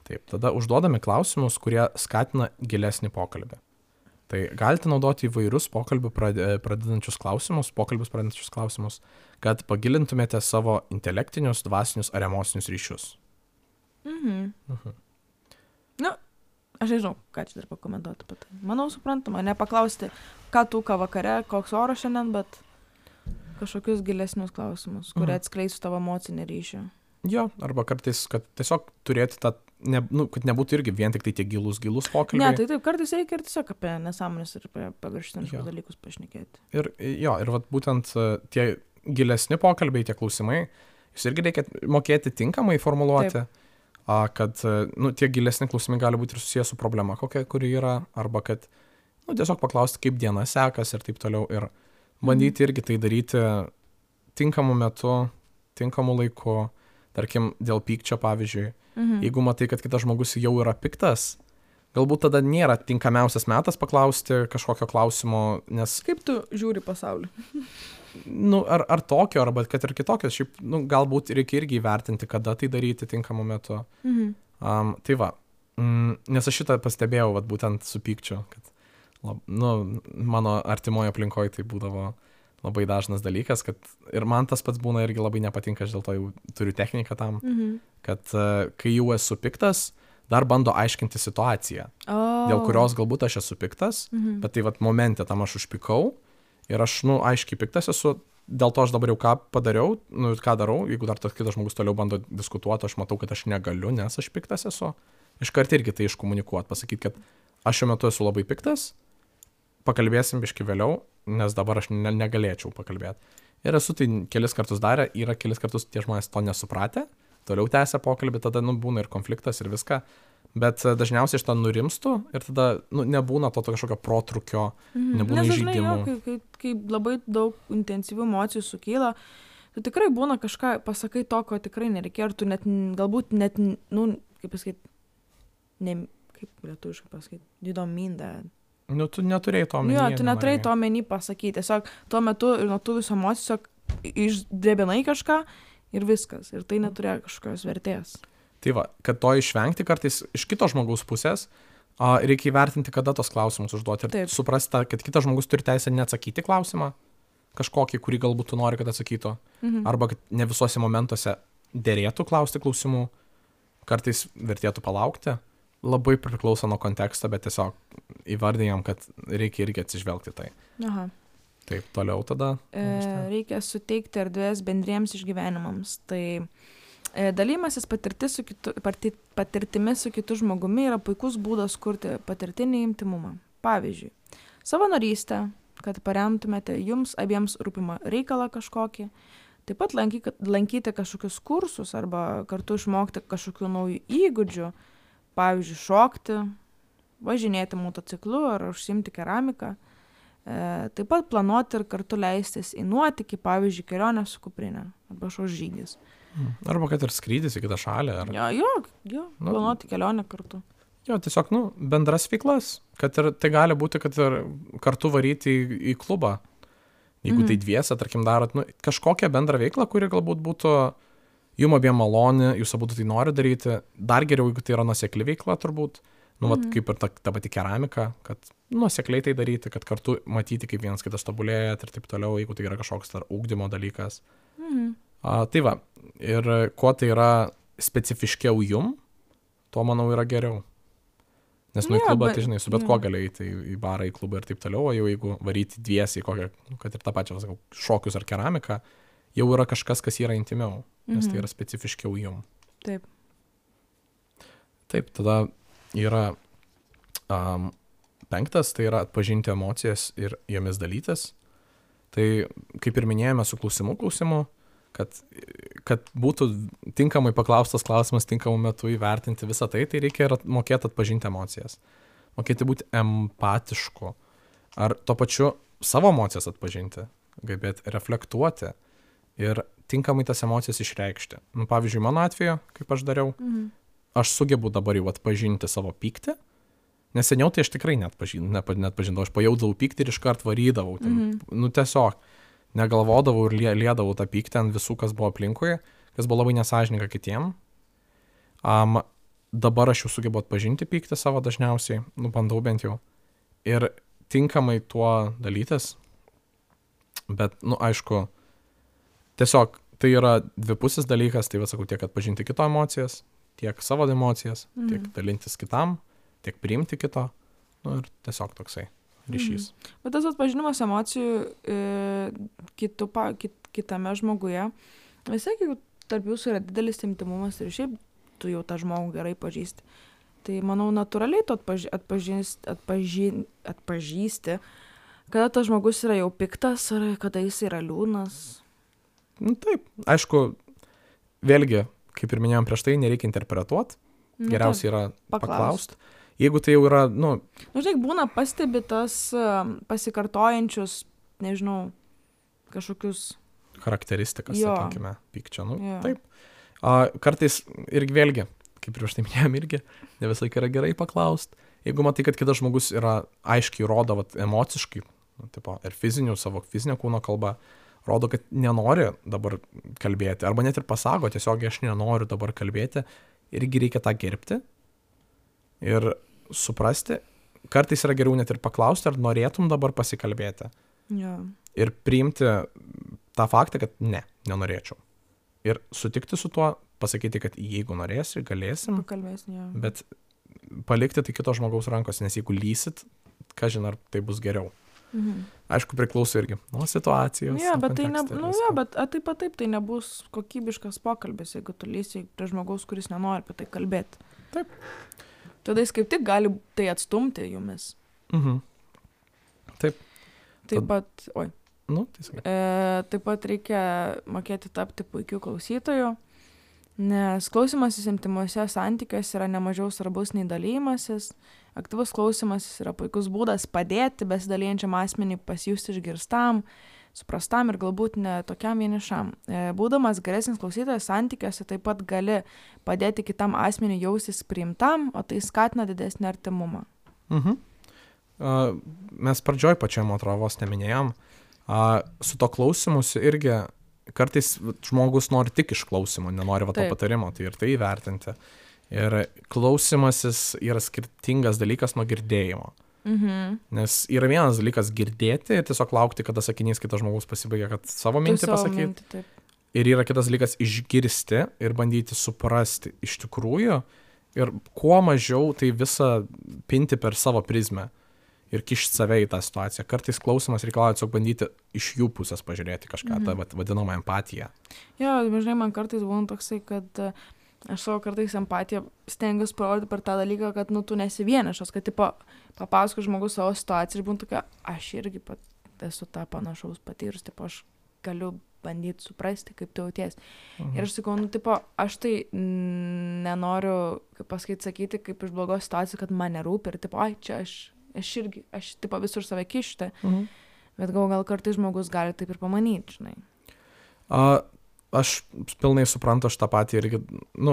Taip, tada užduodami klausimus, kurie skatina gilesnį pokalbį. Tai galite naudoti įvairius pokalbių prade- pradedančius klausimus, pokalbius pradedančius klausimus, kad pagilintumėte savo intelektinius, dvasinius ar emocinius ryšius. Mhm. Mhm. Nu, aš nežinau, ką čia dar pakomentuoti apie tai. Manau, suprantama, nepaklausti, ką tu, ką vakare, koks oras šiandien, bet kažkokius gilesnius klausimus, kurie Mhm. atskleistų tavo emocinį ryšį. Jo, arba kartais, kad tiesiog turėti tą, ne, nu, kad nebūtų irgi vien tik tai tie gilus, gilus Ne, pokalbiai. tai taip, kartais reikia ir tiesiog apie nesąmonės ir apie paviršutinius Jo. dalykus pašnekėti. Ir jo, ir vat, būtent e, tie gilesni pokalbiai, tie klausimai, jūs irgi reikia mokėti tinkamai formuluoti, a, kad e, nu, tie gilesni klausimai gali būti ir susijęs su problema, kokia kuri yra, arba kad nu, tiesiog paklausti, kaip diena sekas ir taip toliau. Ir bandyti irgi tai daryti tinkamu metu, tinkamu laiku, tarkim, dėl pykčio, pavyzdžiui. Mhm. Jeigu matai, kad kitas žmogus jau yra piktas, galbūt tada nėra tinkamiausias metas paklausti kažkokio klausimo, nes Kaip tu žiūri pasaulį? nu, ar, ar tokio, arba kad ir kitokios, šiaip, nu, galbūt reikia irgi įvertinti, kada tai daryti tinkamu metu. Mhm. Um, tai va, mm, nes aš šitą pastebėjau, vat, būtent su pykčiu, kad lab, nu, mano artimoje aplinkoje tai būdavo labai dažnas dalykas, kad ir man tas pats būna irgi labai nepatinka, aš dėl to jau turiu techniką tam, Mhm. kad uh, kai jau esu piktas, dar bando aiškinti situaciją, O. dėl kurios galbūt aš esu piktas, Mhm. bet tai vat momente tam aš užpykau ir aš, nu, aiškiai piktas esu, dėl to aš dabar jau ką padariau, nu, ką darau, jeigu dar tas kitas žmogus toliau bando diskutuoti, aš matau, kad aš negaliu, nes aš piktas esu. Iškart irgi tai iškomunikuoti, pasakyti, kad aš šiuo metu esu labai piktas, pakalbėsim biški vėliau, nes dabar aš ne, negalėčiau pakalbėti. Ir esu tai kelis kartus darę, yra kelis kartus tie žmonės to nesupratę, toliau tęsia pokalbį, tada, nu, būna ir konfliktas ir viską, bet e, dažniausiai iš to nurimstu ir tada, nu, nebūna to, to kažkokio protrukio, Mhm. nebūna Nes dažnai, jo, įžeidimų. Kai, kai, kai labai daug intensyvių emocijų sukyla, tu tikrai būna kažką, pasakai to, ko tikrai nereikia, ir tu net, n- galbūt net, n- nu, kaip pasakyti, ne, kaip lietuviškai pasakyti, you don't mean that. Nu, tu neturėjai to Nu, jo, omenyje, tu neturėjai nenorėjai. to menį pasakyti, tiesiog tuo metu ir nuo tų visų emocijų tiesiog išdrebinai kažką ir viskas, ir tai neturėjo kažkokios vertės. Tai va, kad to išvengti kartais iš kito žmogaus pusės, a, reikia įvertinti, kada tos klausimus užduoti ir Taip. suprasti, kad kitas žmogus turi teisę neatsakyti klausimą, kažkokį, kurį galbūt tu nori, kad atsakytų, Mhm. arba kad ne visuose momentuose dėrėtų klausti klausimų, kartais vertėtų palaukti, labai priklauso nuo konteksto, bet tiesiog įvardėjom, kad reikia irgi atsižvelgti tai. Aha. Taip, toliau tada. E, reikia suteikti erdvės bendriems išgyvenimams. Tai e, dalymasis patirtis su kitu, parti, patirtimi su kitu žmogumi yra puikus būdas kurti patirtinį intimumą. Pavyzdžiui, savanorystę, kad paremtumėte jums abiems rūpimą reikalą kažkokį, taip pat lankyti, lankyti kažkokius kursus arba kartu išmokti kažkokių naujų įgūdžių, pavyzdžiui, šokti, važinėti motociklu ar užsiimti keramiką. E, taip pat planuoti ir kartu leistis į nuotykį, pavyzdžiui, kelionę su kuprinė arba šos žygis. Arba kad ir skrydis į kitą šalį. Ar... Jo, jo, jo, Nu. planuoti kelionę kartu. Jo, tiesiog, nu, bendras veiklas, kad ir tai gali būti, kad ir kartu varyti į, į klubą. Jeigu Mhm. tai dviese, tarkim, darot, nu, kažkokią bendrą veiklą, kuri galbūt būtų jum abiem maloni, jūs abu tai nori daryti, dar geriau, jeigu tai yra nuosekli veikla, turbūt, nu, vat, Mhm. kaip ir ta, ta pati keramika, kad nuosekliai tai daryti, kad kartu matyti, kaip vienas kitas tobulėjat ir taip toliau, jeigu tai yra kažkoks dar ugdymo dalykas. Mhm. A, tai va, ir kuo tai yra specifiškiau jum, tuo, manau, yra geriau. Nes nu į Jo, klubą, bet- tai žinai, su bet jo. kuo gali eiti į, į barą, į klubą ir taip toliau, o jau jeigu varyti dviesi į kokią, nu, kad ir tą pačią, sakau, šokius ar keramiką, jau yra kažkas, kas yra intimiau, nes tai Mhm. yra specifiškiau jum. Taip. Taip, tada yra um, penktas, tai yra atpažinti emocijas ir jomis dalytis. Tai, kaip ir minėjome su klausimų klausimu, kad, kad būtų tinkamai paklaustas klausimas tinkamu metu įvertinti visą tai, tai reikia ir at- mokėti atpažinti emocijas. Mokėti būti empatišku. Ar tuo pačiu savo emocijas atpažinti, gebėti reflektuoti ir tinkamai tas emocijas išreikšti. Nu, pavyzdžiui, mano atveju, kaip aš dariau, Mhm. aš sugebu dabar jau atpažinti savo pyktį, nes seniau tai aš tikrai net, pažin, net, net pažindavau, aš pajaudavau pyktį ir iškart varydavau. Ten, Mhm. Nu tiesiog, negalvodavau ir lie, liedavau tą pyktį ant visų, kas buvo aplinkui, kas buvo labai nesažininga kitiem. Um, dabar aš jau sugebu atpažinti pyktį savo dažniausiai, nu bandau bent jau, ir tinkamai tuo dalytis, bet, nu aišku, tiesiog tai yra dvipusis dalykas, tai vas sakau, tiek atpažinti kito emocijas, tiek savo emocijas, Mhm. tiek dalintis kitam, tiek priimti kito, nu ir tiesiog toksai ryšys. Bet tas atpažinimas emocijų e, kitu, pa, kit, kitame žmoguje, vis tiek, jeigu tarp jūsų yra didelis intimumas ir šiaip tu jau tą žmogų gerai pažįsti, tai manau natūraliai tu atpaž, atpažįsti, atpažį, atpažįsti, kada tas žmogus yra jau piktas ar kada jis yra liūnas. Nu taip, aišku, vėlgi, kaip ir minėjom prieš tai, nereikia interpretuoti, Nu, geriausiai yra paklaust. paklausti. Jeigu tai jau yra, nu, taip. Nu, žinai, būna pastebi tas um, pasikartojančius, nežinau, kažkokius. charakteristikas, Jo. sakykime, pykčio, nu, Jo. taip. A, kartais irgi vėlgi, kaip prieš tai minėjom irgi, ne visą laiką yra gerai paklausti. Jeigu matai, kad kitas žmogus yra aiškiai rodo, vat, emociškai, nu, tipo, ir fizinių, savo fizinio kūno kalba, rodo, kad nenori dabar kalbėti, arba net ir pasako, tiesiog aš nenoriu dabar kalbėti, irgi reikia tą gerbti ir suprasti. Kartais yra geriau net ir paklausti, ar norėtum dabar pasikalbėti. Jo. Ir priimti tą faktą, kad ne, nenorėčiau. Ir sutikti su tuo, pasakyti, kad jeigu norėsi, galėsim, Pakalbėsim, jo. bet palikti tai kito žmogaus rankose, nes jeigu lysit, ką žinai, ar tai bus geriau. Mhm. Aišku, priklauso irgi nuo situacijos. Jo, nuo bet tai, ne, konteksto ir nu, visko. jo, bet a, taip pat taip, tai nebus kokybiškas pokalbis, jeigu tu lysi prie žmogaus, kuris nenori apie tai kalbėti. Taip. Tada jis kaip tik gali tai atstumti jumis. Mhm. Taip Tad- pat, oi, Nu, tai sakai. e, taip pat reikia mokėti tapti puikiu klausytoju, nes klausimasis intimuose santykiuose yra nemažiau svarbus nei dalymasis. Aktyvus klausimasis yra puikus būdas padėti besidalijančiam asmeniui pasijusti išgirstam, suprastam ir galbūt ne tokiam vienišam. E, Būdamas geresnis klausytojas santykiuose taip pat gali padėti kitam asmeniui jaustis priimtam, o tai skatina didesnį artimumą. Mhm. A, mes pradžioj pačiam atravos neminėjom. A, su to klausimusi irgi kartais vat, žmogus nori tik išklausimo, nenori va to Taip. patarimo, tai ir tai įvertinti. Ir klausimasis yra skirtingas dalykas nuo girdėjimo. Mhm. Nes yra vienas dalykas girdėti ir tiesiog laukti, kada sakinys kitas žmogus pasibaigia, kad savo Tu mintį savo pasakyti. mintį, taip. Ir yra kitas dalykas išgirsti ir bandyti suprasti iš tikrųjų ir kuo mažiau tai visą pinti per savo prizmę ir kišti save į tą situaciją. Kartais klausimas reikalauja tiesiog bandyti iš jų pusės pažiūrėti kažką, Mhm. tą vat vadinamą empatiją. Jo, žinai, man kartais būna toksai, kad e, Aš savo kartais empatiją stengiuosi parodyti per tą dalyką, kad, nu, tu nesi vienišas, kad, tipo, papasako žmogus savo situaciją ir būtų tokia, aš irgi pat esu tą panašaus patyrus, tipo, aš galiu bandyti suprasti, kaip tu jauties. Mhm. Ir aš sakau, nu, tipo, aš tai mm, nenoriu, kaip pasakyti, sakyti, kaip iš blogos situacijos, kad man nerūpi ir, tipo, ai, čia aš, aš irgi, aš, tipo, visur save kišti, mhm. bet gal, gal kartais žmogus gali taip ir pamanyti, žinai. A, aš pilnai suprantu, aš tą patį irgi, nu,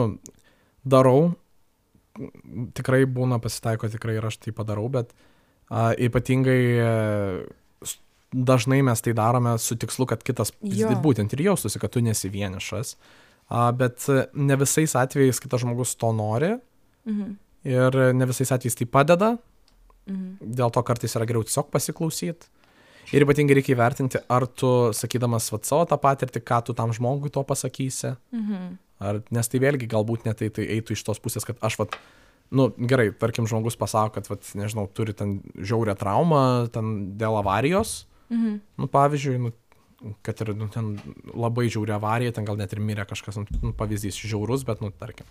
darau, tikrai būna pasitaiko, tikrai ir aš tai padarau, bet a, ypatingai a, dažnai mes tai darome su tikslu, kad kitas Jo. būtent ir jaustųsi, kad tu nesi vienišas, a, bet ne visais atvejais kitas žmogus to nori Mhm. ir ne visais atvejais tai padeda, Mhm. dėl to kartais yra geriau tiesiog pasiklausyti. Ir ypatingai reikia įvertinti, ar tu, sakydamas vat, savo tą patirtį, ką tu tam žmogui to pasakysi. Mhm. Ar, nes tai vėlgi galbūt net tai, tai eitų iš tos pusės, kad aš, vat, nu gerai, tarkim, žmogus pasako, kad, vat, nežinau, turi ten žiaurią traumą, ten dėl avarijos, Mhm. nu pavyzdžiui, nu, kad ir nu, ten labai žiauri avarija, ten gal net ir mirė kažkas, nu, pavyzdys žiaurus, bet, nu, tarkim.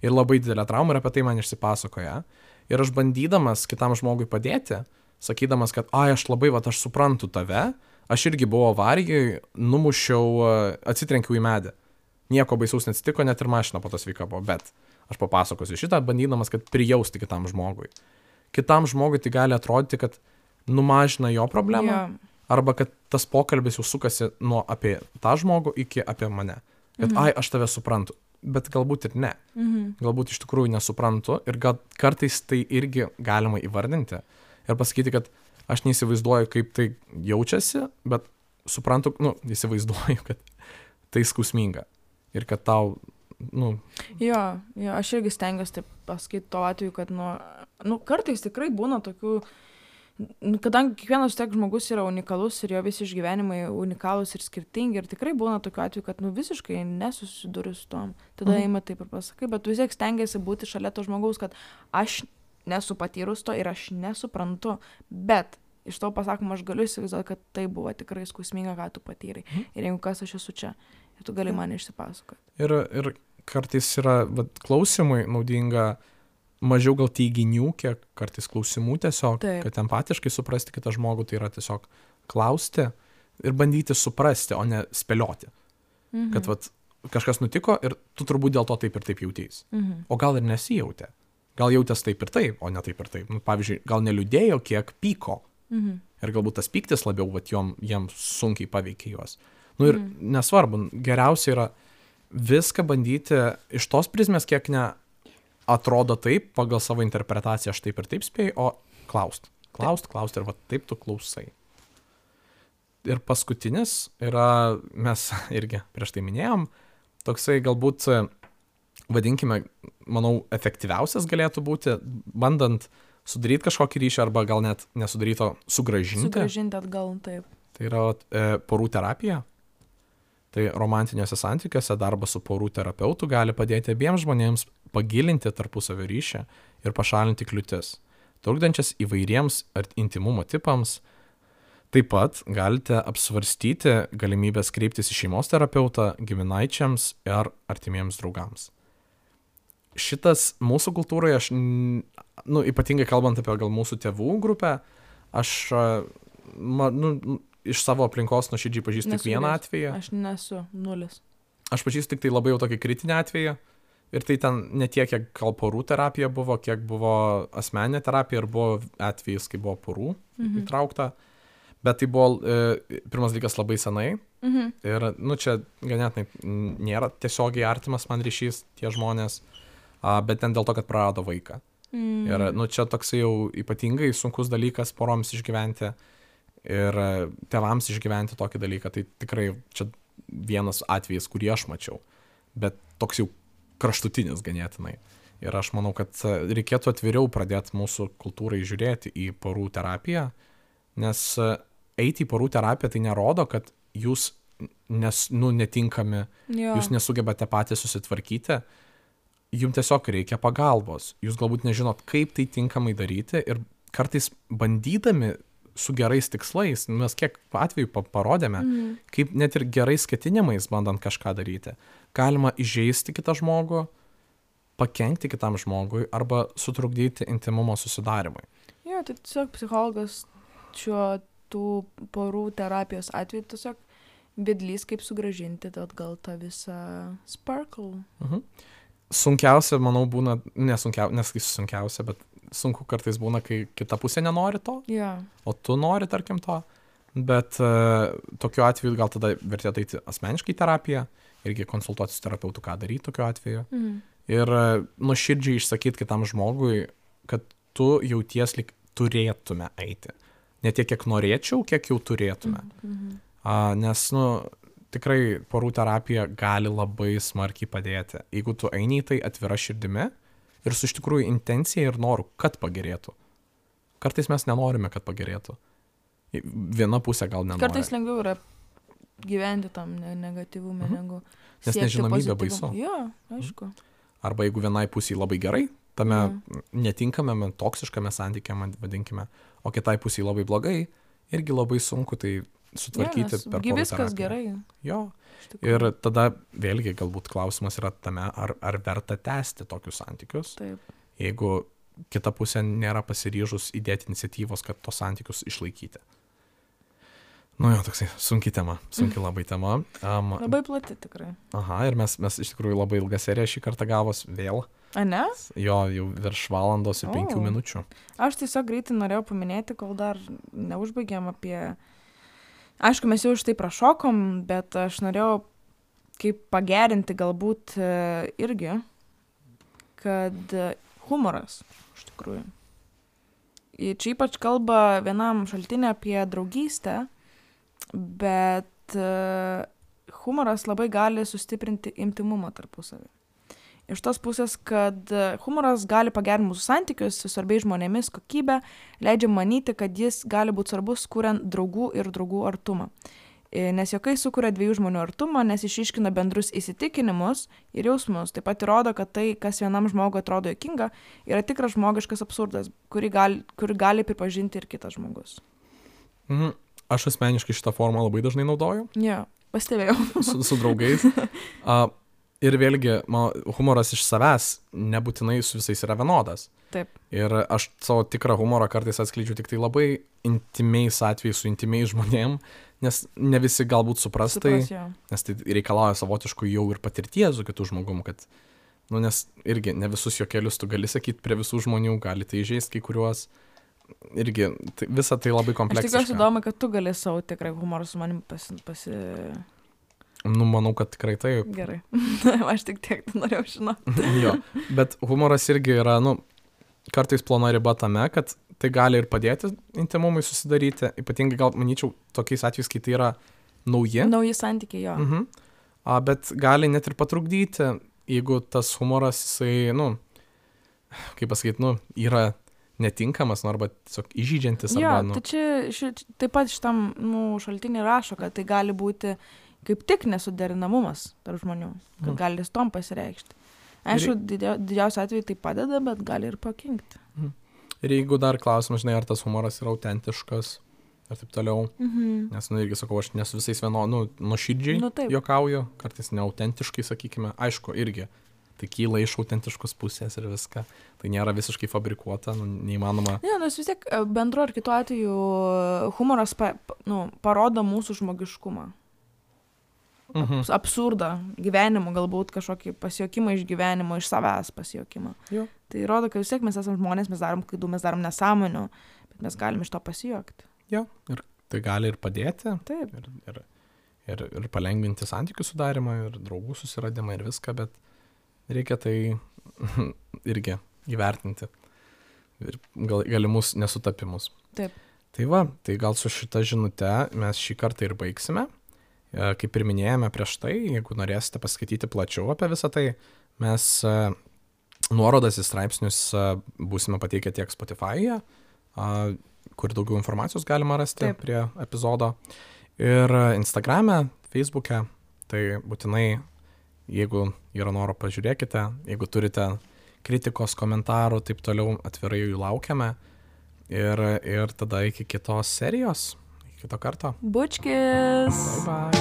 Ir labai didelė trauma ir apie tai man išsipasakoja. Ir aš bandydamas kitam žmogui padėti, sakydamas, kad, ai, aš labai, va, aš suprantu tave, aš irgi buvau avarijai, numušiau, atsitrenkiau į medį. Nieko baisaus neatsitiko, net ir mašina po to sveika buvo, bet aš papasakosiu šitą, bandydamas, kad prijausti kitam žmogui. Kitam žmogui tai gali atrodyti, kad numažina jo problemą, Jo. arba kad tas pokalbis jau sukasi nuo apie tą žmogų iki apie mane. Kad, Mhm. ai, aš tave suprantu, bet galbūt ir ne. Mhm. Galbūt iš tikrųjų nesuprantu ir gal kartais tai irgi galima įvardinti. Ir pasakyti, kad aš neįsivaizduoju, kaip tai jaučiasi, bet suprantu, nu, įsivaizduoju, kad tai skausminga. Ir kad tau, nu... Jo, jo, aš irgi stengiuosi taip pasakyti to atveju, kad, nu, nu, kartais tikrai būna tokių, nu, kadangi kiekvienas tiek žmogus yra unikalus ir jo visi išgyvenimai unikalūs ir skirtingi, ir tikrai būna tokių atveju, kad, nu, visiškai nesusiduriu su tom. Tada Mhm. eima taip ir pasakai, bet vis tiek stengiasi būti šalia to žmogaus, kad aš nesu patyrus to ir aš nesuprantu, bet iš to pasakoma, aš galiu įsivaizduoti, kad tai buvo tikrai skausminga, ką tu patyrai. Mhm. Ir jeigu kas, aš esu čia. Ir tu gali man išsipasakoti. Ir, ir kartais yra, vat, klausimui naudinga mažiau gal teiginių, kiek kartais klausimų tiesiog, Taip. kad empatiškai suprasti kitą žmogų, tai yra tiesiog klausti ir bandyti suprasti, o ne spėlioti. Mhm. Kad vat, kažkas nutiko ir tu turbūt dėl to taip ir taip jautys. Mhm. O gal ir nesijautė. Gal jautės taip ir taip, o ne taip ir taip. Nu, pavyzdžiui, gal neliūdėjo, kiek pyko. Mhm. Ir galbūt tas pyktis labiau, vat, jom, jiems sunkiai paveikė juos. Nu ir Mhm. nesvarbu, geriausia yra viską bandyti iš tos prizmės, kiek ne atrodo taip, pagal savo interpretaciją aš taip ir taip spėju, o klaust. Klaust, klaust ir va taip tu klausai. Ir paskutinis yra, mes irgi prieš tai minėjom, toksai galbūt, vadinkime, manau, efektyviausias galėtų būti, bandant sudaryti kažkokį ryšį arba gal net nesudaryto sugražinti. Sugražinti atgal, taip. Tai yra e, porų terapija. Tai romantiniuose santykiuose darbas su porų terapeutu gali padėti abiems žmonėms pagilinti tarpusavio ryšį ir pašalinti kliūtis, trukdančias įvairiems ar intimumo tipams. Taip pat galite apsvarstyti galimybės kreiptis į šeimos terapeutą, giminaičiams ar artimiems draugams. Šitas mūsų kultūroje, aš, nu, ypatingai kalbant apie gal mūsų tėvų grupę, aš, ma, nu, iš savo aplinkos nuoširdžiai pažįstu tik vieną atvejį. Aš nesu nulis. Aš pažįstu tik tai labai jau tokį kritinį atvejį. Ir tai ten ne tiek, kiek gal porų terapija buvo, kiek buvo asmeninė terapija ir buvo atvejis, kai buvo porų Mhm. įtraukta. Bet tai buvo e, pirmas dalykas labai senai. Mhm. Ir, nu, čia ganėtinai nėra tiesiogiai artimas man ryšys tie žmonės, a, bet ten dėl to, kad prarado vaiką. Mhm. Ir, nu, čia toksai jau ypatingai sunkus dalykas poroms išgyventi. Ir tėvams išgyventi tokį dalyką, tai tikrai čia vienas atvejis, kurį aš mačiau, bet toks jau kraštutinis ganėtinai. Ir aš manau, kad reikėtų atviriau pradėti mūsų kultūrai žiūrėti į porų terapiją, nes eiti į porų terapiją tai nerodo, kad jūs nes, nu, netinkami, Jo. jūs nesugebate patys susitvarkyti, jums tiesiog reikia pagalbos, jūs galbūt nežinot, kaip tai tinkamai daryti ir kartais bandydami su gerais tikslais, mes kiek atveju parodėme, Mhm. kaip net ir gerais ketinimais bandant kažką daryti, galima įžeisti kitą žmogų pakenkti kitam žmogui arba sutrukdyti intimumo susidarimui. Jo, tai tiesiog psichologas šiuo tų porų terapijos atveju tiesiog vedlys, kaip sugrąžinti atgal tą visą sparkle. Mhm. Sunkiausia, manau, būna, nesunkiausia, nesakysiu sunkiausia, bet sunku kartais būna, kai kita pusė nenori to, Ja. o tu nori, tarkim, to. Bet uh, tokiu atveju gal tada vertėtų eiti asmeniškai į terapiją, irgi konsultuoti su terapeutu, ką daryti tokiu atveju. Mhm. Ir uh, nuoširdžiai išsakyti kitam žmogui, kad tu jauties lyg turėtume eiti. Ne tiek, kiek norėčiau, kiek jau turėtume. Mhm. Uh, nes, nu, tikrai porų terapija gali labai smarkiai padėti. Jeigu tu eini į tai atvira širdimi ir su iš tikrųjų intencija ir noru, kad pagerėtų. Kartais mes nenorime, kad pagerėtų. Viena pusė gal nenori. Kartais lengviau yra gyventi tam ne- negatyvume, Mhm. negu Nes siekti nežinomybė pozityvumo. baisu. Jo, aišku. Arba jeigu vienai pusiai labai gerai, tame Mhm. netinkamame, toksiškame santykiame, vadinkime, o kitai pusiai labai blogai, irgi labai sunku tai sutvarkyti Jo, nes per gi porų viskas terapiją. gerai. Jo. iš tikrųjų. Ir tada vėlgi galbūt klausimas yra tame, ar, ar verta tęsti tokius santykius, Taip. jeigu kita pusė nėra pasiryžus įdėti iniciatyvos, kad tos santykius išlaikyti. Nu jo, toksai sunki tema, sunki labai tema. Um, Labai plati tikrai. aha, ir mes, mes iš tikrųjų labai ilgą seriją šį kartą gavos vėl. A ne? Jo, jau virš valandos ir penkių O. minučių. Aš tiesiog greitai norėjau paminėti, kol dar neužbaigėm apie... Aišku, mes jau iš tai prašokom, bet aš norėjau kaip pagerinti galbūt e, irgi, kad e, humoras, iš tikrųjų. Ir čia ypač kalba vienam šaltinė apie draugystę, bet e, humoras labai gali sustiprinti intimumą tarpusavį. Iš tos pusės, kad e, humoras gali pagerinti mūsų santykius su svarbiais žmonėmis kokybę, leidžia manyti, kad jis gali būti svarbus, kuriant draugų ir draugų artumą. E, Nes juokai sukuria dviejų žmonių artumą, nes išiškina bendrus įsitikinimus ir jausmus. Taip pat įrodo, kad tai, kas vienam žmogui atrodo juokinga, yra tikras žmogiškas absurdas, kurį gali, kurį gali pripažinti ir kitas žmogus. Mhm. Aš asmeniškai šitą formą labai dažnai naudoju Jo, pastebėjau. su, su draugais. A, ir vėlgi, man, humoras iš savęs nebūtinai su visais yra vienodas. Taip. Ir aš savo tikrą humorą kartais atskleidžiu tik tai labai intimiais atvejais su intimiais žmonėm, nes ne visi galbūt supras tai, Supras, jo. nes tai reikalauja savotiškų jau ir patirties su kitų žmogum, kad, nu, nes irgi ne visus juokelius tu gali sakyti prie visų žmonių, gali tai įžeisti kai kuriuos. Irgi tai, visa tai labai Aš kompleksiška. tikiuosi įdomu, kad tu gali savo tikrą humorą su manim pasi... pasi... Nu, manau, kad tikrai taip. Gerai. Aš tik tiek norėjau žinoti. Jo, bet humoras irgi yra, nu, kartais plona riba tame, kad tai gali ir padėti intimumui susidaryti, ypatingai gal, manyčiau, tokiais atvejais, kai tai yra nauji, Nauji santykiai, jo. mhm. A, bet gali net ir patrukdyti, jeigu tas humoras, jisai, nu, kaip pasakyti, nu, yra netinkamas, nu, arba tiesiog įžydžiantis, Jo, arba, nu, tai čia ši, taip pat šitam nu, šaltinį rašo, kad tai gali būti kaip tik nesuderinamumas tarp žmonių, kad Mhm. gali jis tom pasireikšti. Aišku, didia, didžiausiu atveju tai padeda, bet gali ir pakinkti. ir jeigu dar klausimas, žinai, ar tas humoras yra autentiškas, ir taip toliau, Mhm. nes, nu, irgi sakau, aš nesu visais vieno, nu, nuoširdžiai Nu, taip. juokauju, kartais neautentiškai, sakykime, aišku, irgi, tai kyla iš autentiškos pusės ir viską, tai nėra visiškai fabrikuota, nu, neįmanoma. Ne, nes vis tiek e, bendru ar kitu atveju humoras pa, pa- nu, parodo mūsų žmogiškumą. Mhm. Absurdą gyvenimo, galbūt kažkokį pasijuokimą iš gyvenimo, iš savęs pasijuokimą. Jo. Tai rodo, kad vis tiek mes esame žmonės, mes darom klaidų, mes darom nesąmonių, bet mes galim iš to pasijuokti. Jo, ir tai gali ir padėti, Taip. ir, ir, ir, ir palengvinti santykių sudarimą, ir draugų susiradimą, ir viską, bet reikia tai irgi įvertinti. Ir gal, galimus nesutapimus. Taip. Tai va, tai gal su šita žinute mes šį kartą ir baigsime. E, Kaip ir minėjome prieš tai, jeigu norėsite paskaityti plačiau apie visą tai, mes e, nuorodas į straipsnius e, būsime pateikę tiek Spotify'e, a, kur daugiau informacijos galima rasti Taip. prie epizodo, ir Instagram'e, Facebook'e, tai būtinai, jeigu yra noro, pažiūrėkite, jeigu turite kritikos, komentarų, taip toliau, atvirai jų laukiame, ir, ir tada iki kitos serijos, iki kito karto. Bučkis. Bye bye.